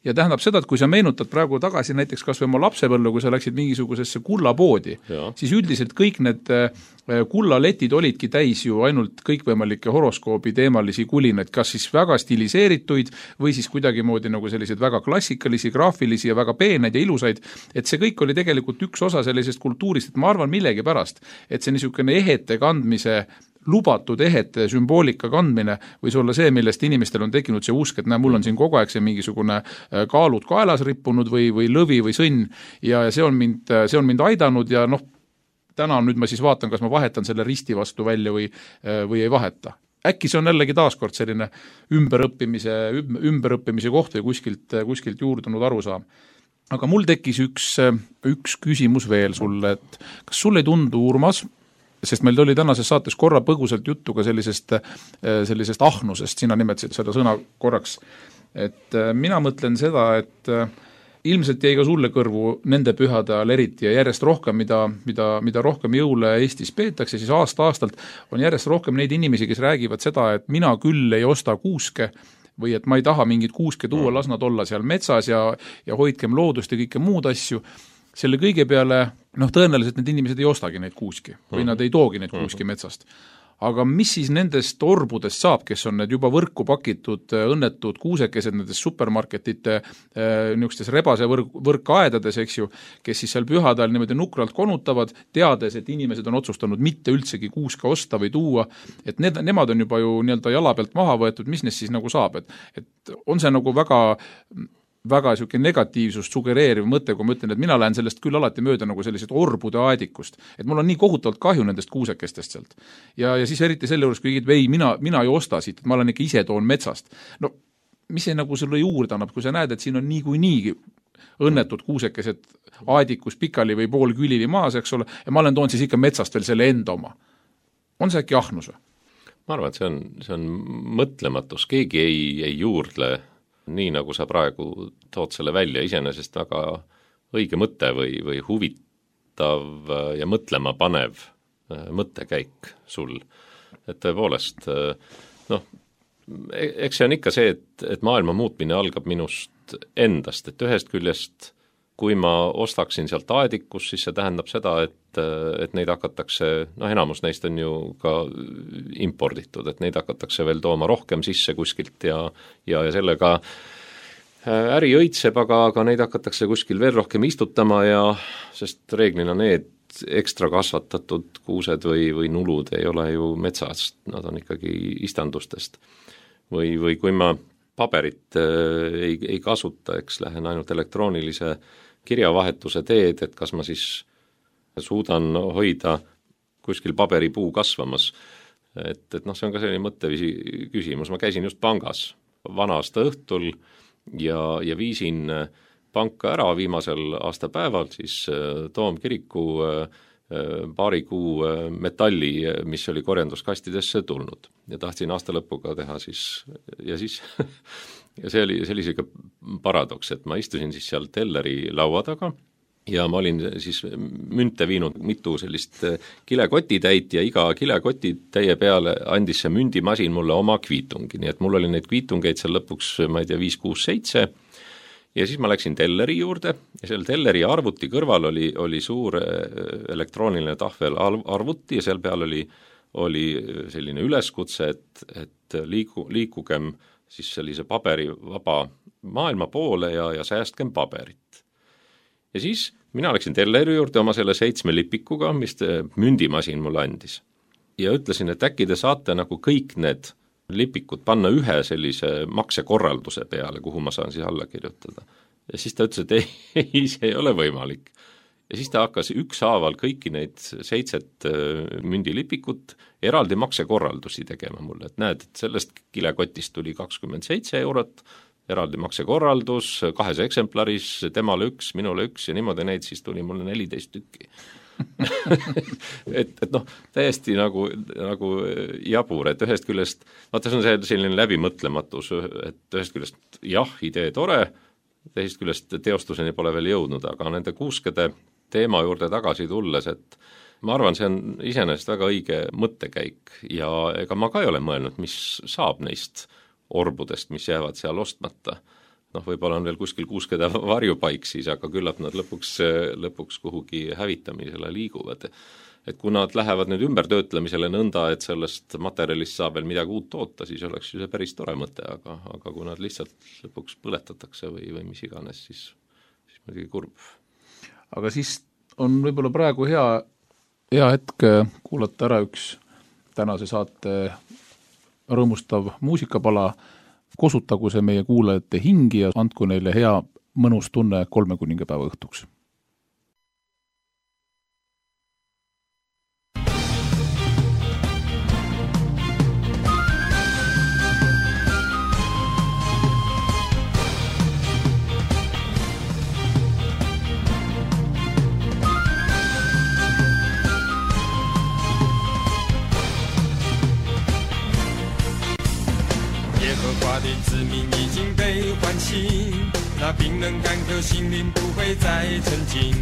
Ja tähendab seda, et kui sa meenutad praegu tagasi näiteks kas või oma lapsepõllu, kui sa läksid mingisugusesse kullapoodi, siis üldiselt kõik need kullaletid olidki täis ju ainult kõikvõimalikke horoskoobi teemalisi kulinaid, kas siis väga stiliseerituid või siis kuidagimoodi nagu selliseid väga klassikalisi, graafilisi ja väga peeneid ja ilusaid, et see kõik oli tegelikult üks osa sellisest kultuurist, et ma arvan millegi pärast, et see niisugune ehete kandmise lubatud ehete sümboolika kandmine võis olla see, millest inimestel on tekkinud see usk, et mul on siin kogu aeg see mingisugune kaalud kaelas rippunud või lõvi või sõnn ja see on mind aidanud ja täna nüüd ma siis vaatan, kas ma vahetan selle risti vastu välja või ei vaheta. Äkki see on jällegi taaskord selline ümberõppimise koht või kuskilt juurdunud arusaam. Aga mul tekkis üks küsimus veel sulle, et kas sulle ei tundu, Urmas, sest meil oli tänases saates korra põgusalt juttu ka sellisest ahnusest, sina nimetasid seda sõna korraks, et mina mõtlen seda, et ilmselt jäi ka sulle kõrvu nende pühade ajal eriti ja järjest rohkem, mida rohkem jõule Eestis peetakse, siis aasta-aastalt on järjest rohkem neid inimesi, kes räägivad seda, et mina küll ei osta kuuske või et ma ei taha mingit kuuske tuua, las nad olla seal metsas ja hoidkem loodust ja kõike muud asju. Selle kõige peale, tõenäoliselt need inimesed ei ostagi neid kuuski või nad ei toogi neid kuuski metsast. Aga mis siis nendest orbudest saab, kes on need juba võrku pakitud õnnetud kuusekesed nendes supermarketite niisugustes rebase võrkaedades, eks ju, kes siis seal pühadel niimoodi nukralt konutavad, teades, et inimesed on otsustanud mitte üldsegi kuuska osta või tuua, et nemad on juba ju nii-öelda jala pealt maha võetud, mis neist siis nagu saab, et on see nagu väga niisugune negatiivsust sugereeriv mõte, kui ma ütlen, et mina lähen sellest küll alati mööda nagu sellised orbude aedikust, et mul on nii kohutavalt kahju nendest kuusekestest sealt. Ja siis eriti selle juures, kui ei, mina ei osta siit, et ma olen ikka ise toon metsast. Mis see nagu sulle juurde annab, kui sa näed, et siin on nii õnnetud kuusekesed aedikus pikali või pool külili maas, eks ole, ja ma olen toon siis ikka metsast veel selle enda oma. On see äkki ahnus?
Ma arvan, et see on mõtlematus, keegi ei juurdle nii nagu sa praegu tood selle välja, iseenesest väga õige mõte või huvitav ja mõtlema panev mõttekäik sul. Et tõepoolest, eks see on ikka see, et maailma muutmine algab minust endast, et ühest küljest, kui ma ostaksin sealt aedikus, siis see tähendab seda, et neid hakatakse, enamus neist on ju ka imporditud, et neid hakatakse veel tooma rohkem sisse kuskilt ja sellega äri õitseb, aga neid hakatakse kuskil veel rohkem istutama sest reeglina need ekstra kasvatatud kuused või nulud ei ole ju metsast, nad on ikkagi istandustest. Või kui ma paberit ei kasuta, eks lähen ainult elektroonilise kirjavahetuse teed, et kas ma siis suudan hoida kuskil paberipuu kasvamas. Et see on ka selline mõtteviisi küsimus. Ma käisin just pangas vana aasta õhtul ja viisin panka ära viimasel aastapäeval siis Toomkiriku paari kuu metalli, mis oli korjanduskastidesse tulnud ja tahtsin aasta lõpuga teha siis ja see oli ikka paradoks, et ma istusin siis seal telleri laua taga ja ma olin siis münte viinud mitu sellist kilekotitäit ja iga kilekotitäie peale andis see mündimasin mulle oma kviitungi, nii et mul oli neid kviitungeid seal lõpuks, ma ei tea, 5, 6, 7 ja siis ma läksin telleri juurde ja seal telleri arvuti kõrval oli suur elektrooniline tahvel arvuti ja seal peal oli selline üleskutse, et liikugem siis sellise paberivaba maailma poole ja säästkem paberit. Ja siis mina läksin telleri juurde oma selle 7 lipikuga, mis mündimasin mulle andis. Ja ütlesin, et äkki te saate nagu kõik need lipikud panna ühe sellise maksekorralduse peale, kuhu ma saan siis alla kirjutada. Ja siis ta ütles, et ei, see ei ole võimalik. Ja siis ta hakkas ükshaaval kõiki neid 7 mündilipikut eraldi maksekorraldusi tegema mulle, et näed, et sellest kilekotist tuli 27 €, eraldi maksekorraldus, 2 eksemplaris, temale 1, minule 1 ja niimoodi neid siis tuli mulle 14 tükki. et noh, täiesti nagu jabur, et ühest küljest, vaata see on selline läbimõtlematus, et ühest küljest jah, idee tore, teisest küljest teostuseni pole veel jõudnud, aga nende kuuskede teema juurde tagasi tulles, et ma arvan, see on iseenesest väga õige mõttekäik ja ega ma ka ei ole mõelnud, mis saab neist orbudest, mis jäävad seal ostmata. Noh, võib-olla on veel kuskil kuuskede varjupaik siis, aga küllap nad lõpuks kuhugi hävitamisele liiguvad. Et kui nad lähevad nüüd ümbertöötlemisele nõnda, et sellest materjalist saab veel midagi uut toota, siis oleks ju see päris tore mõte, aga kui nad lihtsalt lõpuks põletatakse või mis iganes, siis muidugi kurb.
Aga siis on võib-olla praegu hea hetk kuulata ära üks tänase saate rõõmustav muusikapala, kosutagu see meie kuulajate hingi ja andku neile hea mõnus tunne 3 kuningapäeva õhtuks.
那冰冷干渴心灵不会再沉静，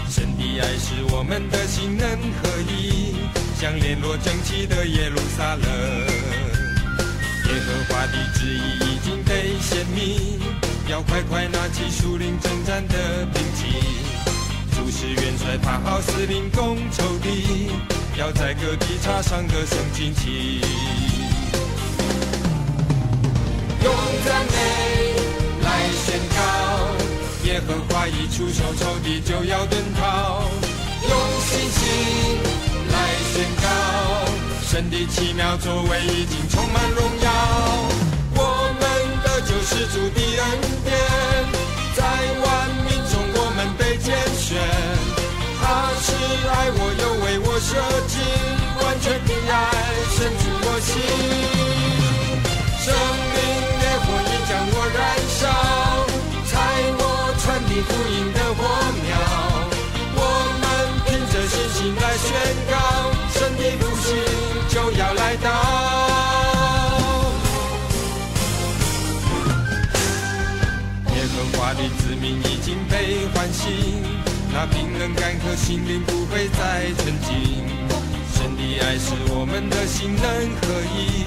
神的爱使我们的心能合一，像联络整齐的耶路撒冷。耶和华的旨意已经被显明，要快快拿起属灵征战的兵器，主使元帅爬好司令攻仇敌，要在各地插上个圣旌旗，用赞美来宣告，耶和华一出手，仇敌就要遁逃。用信心来宣告，神的奇妙作为已经充满荣耀。我们的救世主的恩典，在万民中我们被拣选。他是爱我，又为我舍己，完全的爱深入我心。生命烈火已将我燃烧，采我传递福音的火苗。我们凭着信心来宣告，神的复兴就要来到。耶和华的子民已经被唤醒，那冰冷干渴心灵不会再沉静。神的爱使我们的心能合一，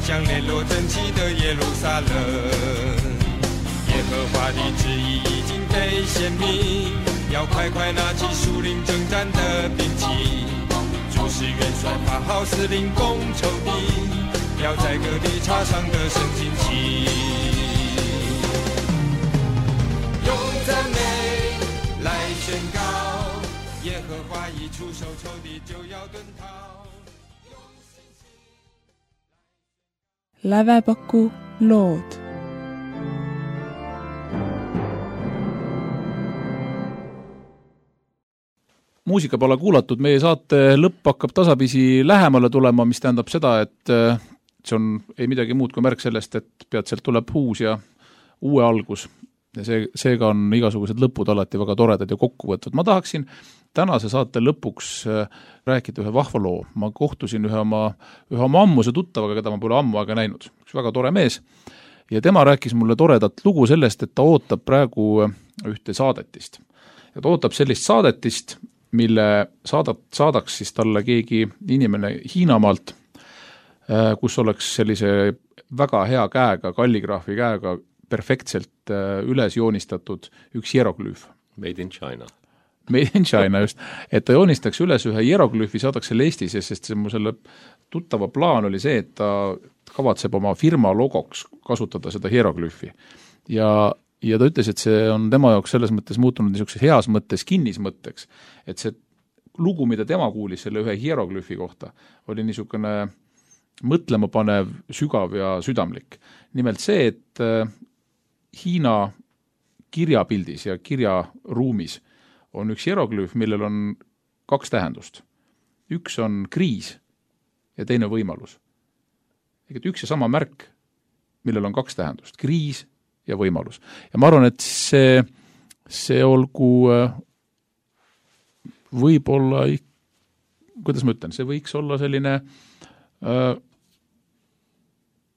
像联络整齐的耶路撒冷。耶和华的旨意已经被显明，要快快拿起属灵征战的兵器，主使元帅发号司令攻仇敌，要在各地插上个圣旌旗，用赞美来宣告，耶和华一出手，仇敌就要遁逃。
Lävepaku lood.
Muusika pole kuulatud, meie saate lõpp hakkab tasapisi lähemale tulema, mis tähendab seda, et see on ei midagi muud kui märk sellest, et peatselt tuleb uus ja uue algus. Ja seega on igasugused lõpud alati väga toredad ja kokkuvõtvad. Ma tahaksin tänase saate lõpuks rääkida ühe vahva loo. Ma kohtusin ühe oma ammuse tuttavaga, keda ma pole ammu aega näinud. Üks väga tore mees. ja tema rääkis mulle toredat lugu sellest, et ta ootab praegu ühte saadetist. Ja ta ootab sellist saadetist, mille saadaks siis talle keegi inimene Hiinamaalt, kus oleks sellise väga hea käega, kalligraafi käega perfektselt üles joonistatud üks hieroglüüf.
Made in China.
Made in China just, et ta joonistaks üles ühe hieroglüüfi, saadaks selle Eestis, sest see mu selle tuttava plaan oli see, et ta kavatseb oma firma logoks kasutada seda hieroglüüfi. Ja ta ütles, et see on tema jaoks selles mõttes muutunud niisuguse heas mõttes, kinnis mõtteks, et see lugu, mida tema kuulis selle ühe hieroglüüfi kohta, oli niisugune mõtlema panev, sügav ja südamlik. Nimelt see, et Hiina kirjapildis ja kirjaruumis on üks hieroglüüf, millel on 2 tähendust. Üks on kriis ja teine võimalus. Et üks ja sama märk, millel on 2 tähendust, kriis ja võimalus. Ja ma arvan, et see olgu võib-olla, kuidas ma ütlen, see võiks olla selline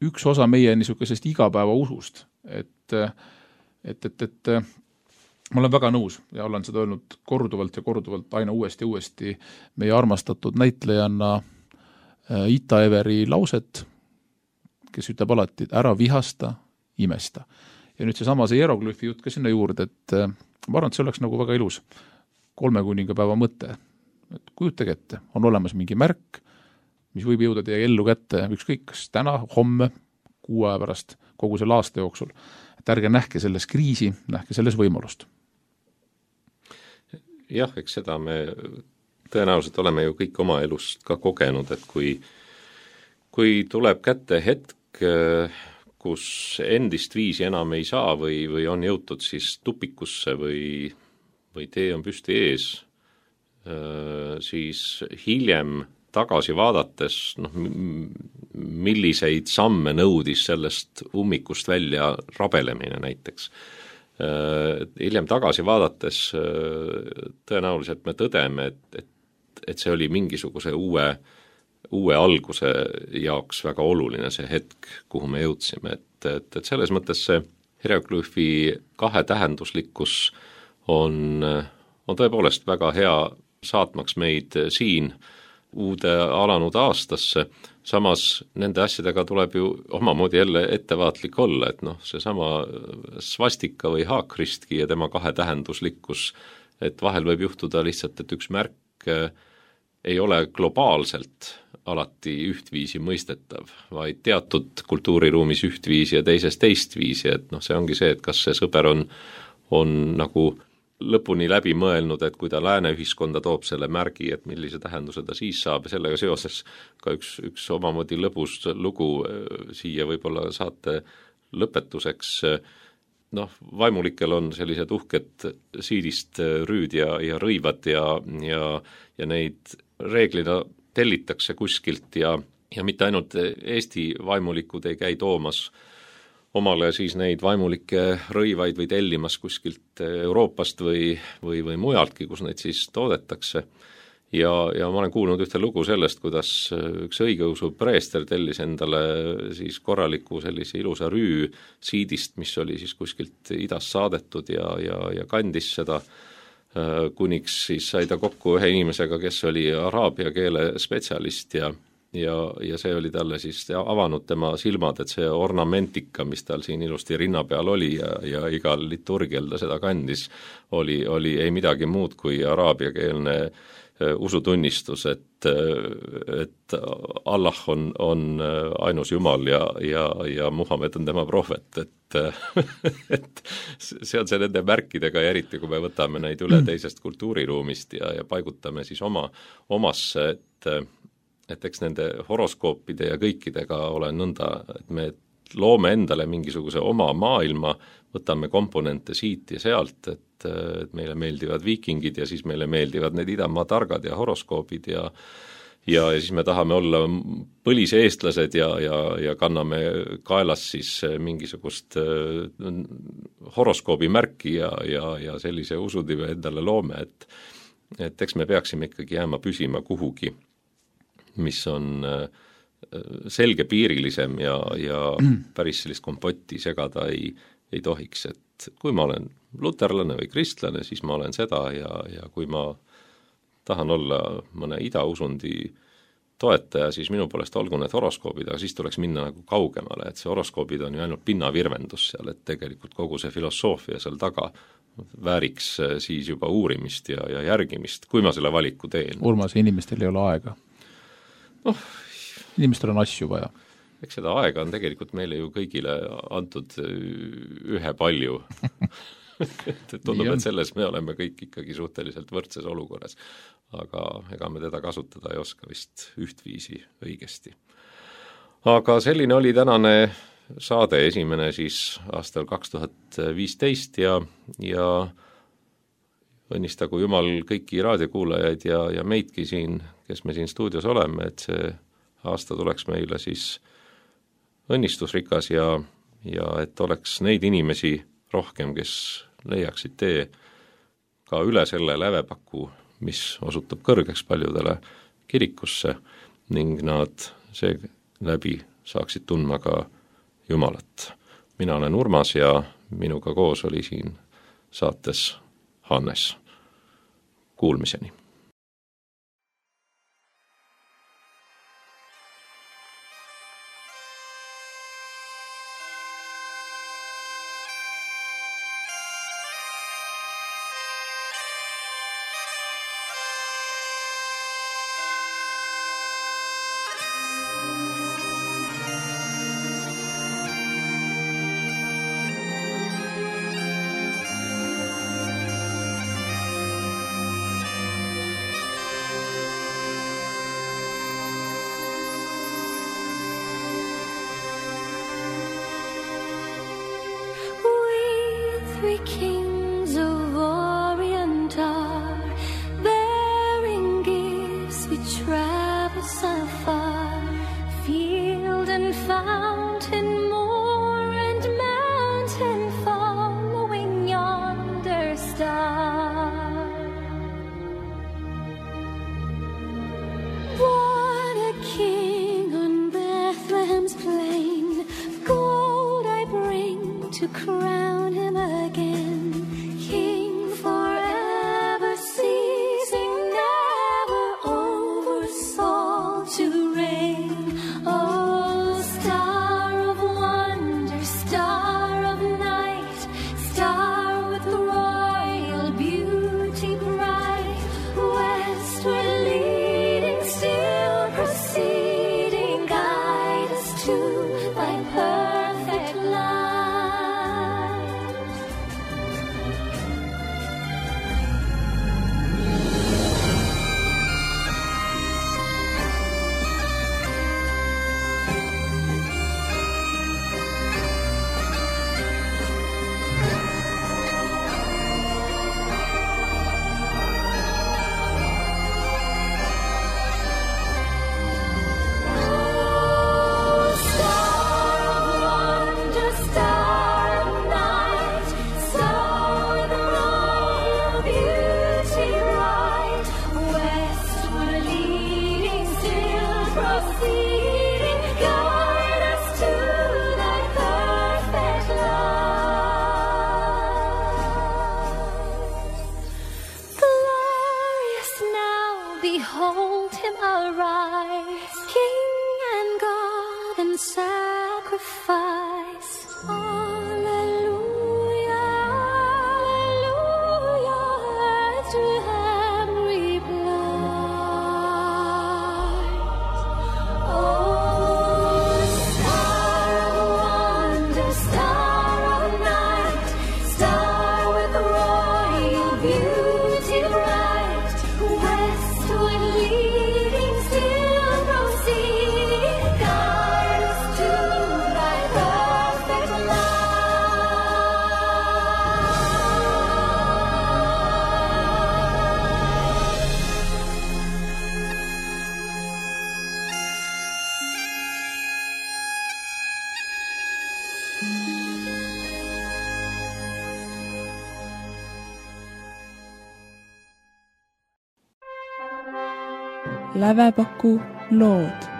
üks osa meie niisugusest igapäeva usust, et ma olen väga nõus ja olen seda öelnud korduvalt ja korduvalt aina uuesti meie armastatud näitlejanna Ita Everi lauset, kes ütleb alati, ära vihasta, imesta. Ja nüüd see hieroglüüfi jutt ka sinna juurde, et ma arvan, et see oleks nagu väga ilus 3 kuningapäeva mõte. Et kujutage ette, on olemas mingi märk, mis võib jõuda teie ellu kätte, ükskõik kas täna, homme, 6 aja pärast, kogu selle aasta jooksul. Et ärge nähke selles kriisi, nähke selles võimalust.
Jah, eks seda me tõenäoliselt oleme ju kõik oma elust ka kogenud, et kui tuleb kätte hetk, kus endist viisi enam ei saa või on jõutud siis tupikusse või tee on püsti ees, siis hiljem tagasi vaadates, milliseid samme nõudis sellest ummikust välja rabelemine näiteks. Hiljem tagasi vaadates tõenäoliselt me tõdeme, et see oli mingisuguse uue alguse jaoks väga oluline see hetk, kuhu me jõudsime, et selles mõttes see hieroglüüfi 2 tähenduslikkus on tõepoolest väga hea saatmaks meid siin uude alanud aastasse, samas nende asjadega tuleb ju omamoodi jälle ettevaatlik olla, et seesama svastika või haakristki ja tema 2 tähenduslikkus, et vahel võib juhtuda lihtsalt, et üks märk ei ole globaalselt alati ühtviisi mõistetav, vaid teatud kultuuriruumis ühtviisi ja teises teistviisi, et see ongi see, et kas see sõber on nagu lõpuni läbi mõelnud, et kui ta lääne ühiskonda toob selle märgi, et millise tähenduse ta siis saab ja sellega seoses ka üks omamoodi lõbus lugu siia võib-olla saate lõpetuseks. Vaimulikel on sellised uhked siidist rüüd ja rõivad ja neid reeglina tellitakse kuskilt ja mitte ainult Eesti vaimulikud ei käi toomas omale siis neid vaimulikke rõivaid või tellimas kuskilt Euroopast või mujaltki, kus neid siis toodetakse. Ja ma olen kuulnud ühte lugu sellest, kuidas üks õigeusu preester tellis endale siis korraliku sellise ilusa rüü siidist, mis oli siis kuskilt idast saadetud ja kandis seda, kuniks siis sai ta kokku ühe inimesega, kes oli araabia keele spetsialist ja see oli talle siis avanud tema silmad, et see ornamentika, mis tal siin ilusti rinna peal oli ja igal liturgial ta seda kandis, oli ei midagi muud kui araabiakeelne usutunnistus, et Allah on ainus Jumal ja Muhamed on tema prohvet, et see on see nende märkidega ja eriti, kui me võtame neid üle teisest kultuuriruumist ja paigutame siis omasse, et eks nende horoskoopide ja kõikidega ole nõnda, et me loome endale mingisuguse oma maailma, võtame komponente siit ja sealt, et meile meeldivad viikingid ja siis meile meeldivad need idamaa targad ja horoskoobid ja siis me tahame olla põlise eestlased ja kanname kaelas siis mingisugust horoskoobi märki ja sellise usudive endale loome, et eks me peaksime ikkagi jääma püsima kuhugi, mis on selgepiirilisem ja päris sellist kompotti segada ei tohiks, et kui ma olen luterlane või kristlane, siis ma olen seda ja kui ma tahan olla mõne idausundi toetaja, siis minu poolest olgu need horoskoobid, aga siis tuleks minna nagu kaugemale, et see horoskoobid on ju ainult pinnavirvendus seal, et tegelikult kogu see filosoofia seal taga vääriks siis juba uurimist ja järgimist, kui ma selle valiku teen.
Urmas, inimestel ei ole aega. Inimestel on asju vaja.
Eks seda aega on tegelikult meile ju kõigile antud ühe palju. Tundub, et selles me oleme kõik ikkagi suhteliselt võrdses olukorras, aga ega me teda kasutada ei oska vist ühtviisi õigesti. Aga selline oli tänane saade, esimene siis aastal 2015 ja õnnistagu Jumal kõiki raadiokuulajaid ja meidki siin, kes me siin stuudios oleme, et see aasta tuleks meile siis õnnistusrikas ja et oleks neid inimesi rohkem, kes leiaksid tee ka üle selle lävepaku, mis osutab kõrgeks paljudele kirikusse ning nad seeläbi saaksid tundma ka Jumalat. Mina olen Urmas ja minuga koos oli siin saates Hannes. Kuulmiseni!
Kings of Orient are bearing gifts, we travel so far, field and fountain, moor and mountain, following yonder star. Born a king on Bethlehem's plain, gold I bring to crown him again, King forever, ceasing never over soul to reign. Oh, star of wonder, star of night, star with royal beauty bright, westward leading, still proceeding, guide us to thy perfect light. Behold him arise, King and God and sacrifice. Alleluia, alleluia, to him reply. Oh, star of wonder, star of night, star with royal beauty bright, westward leading, still proceeding, guide us to thy perfect light.
Lävepaku lood.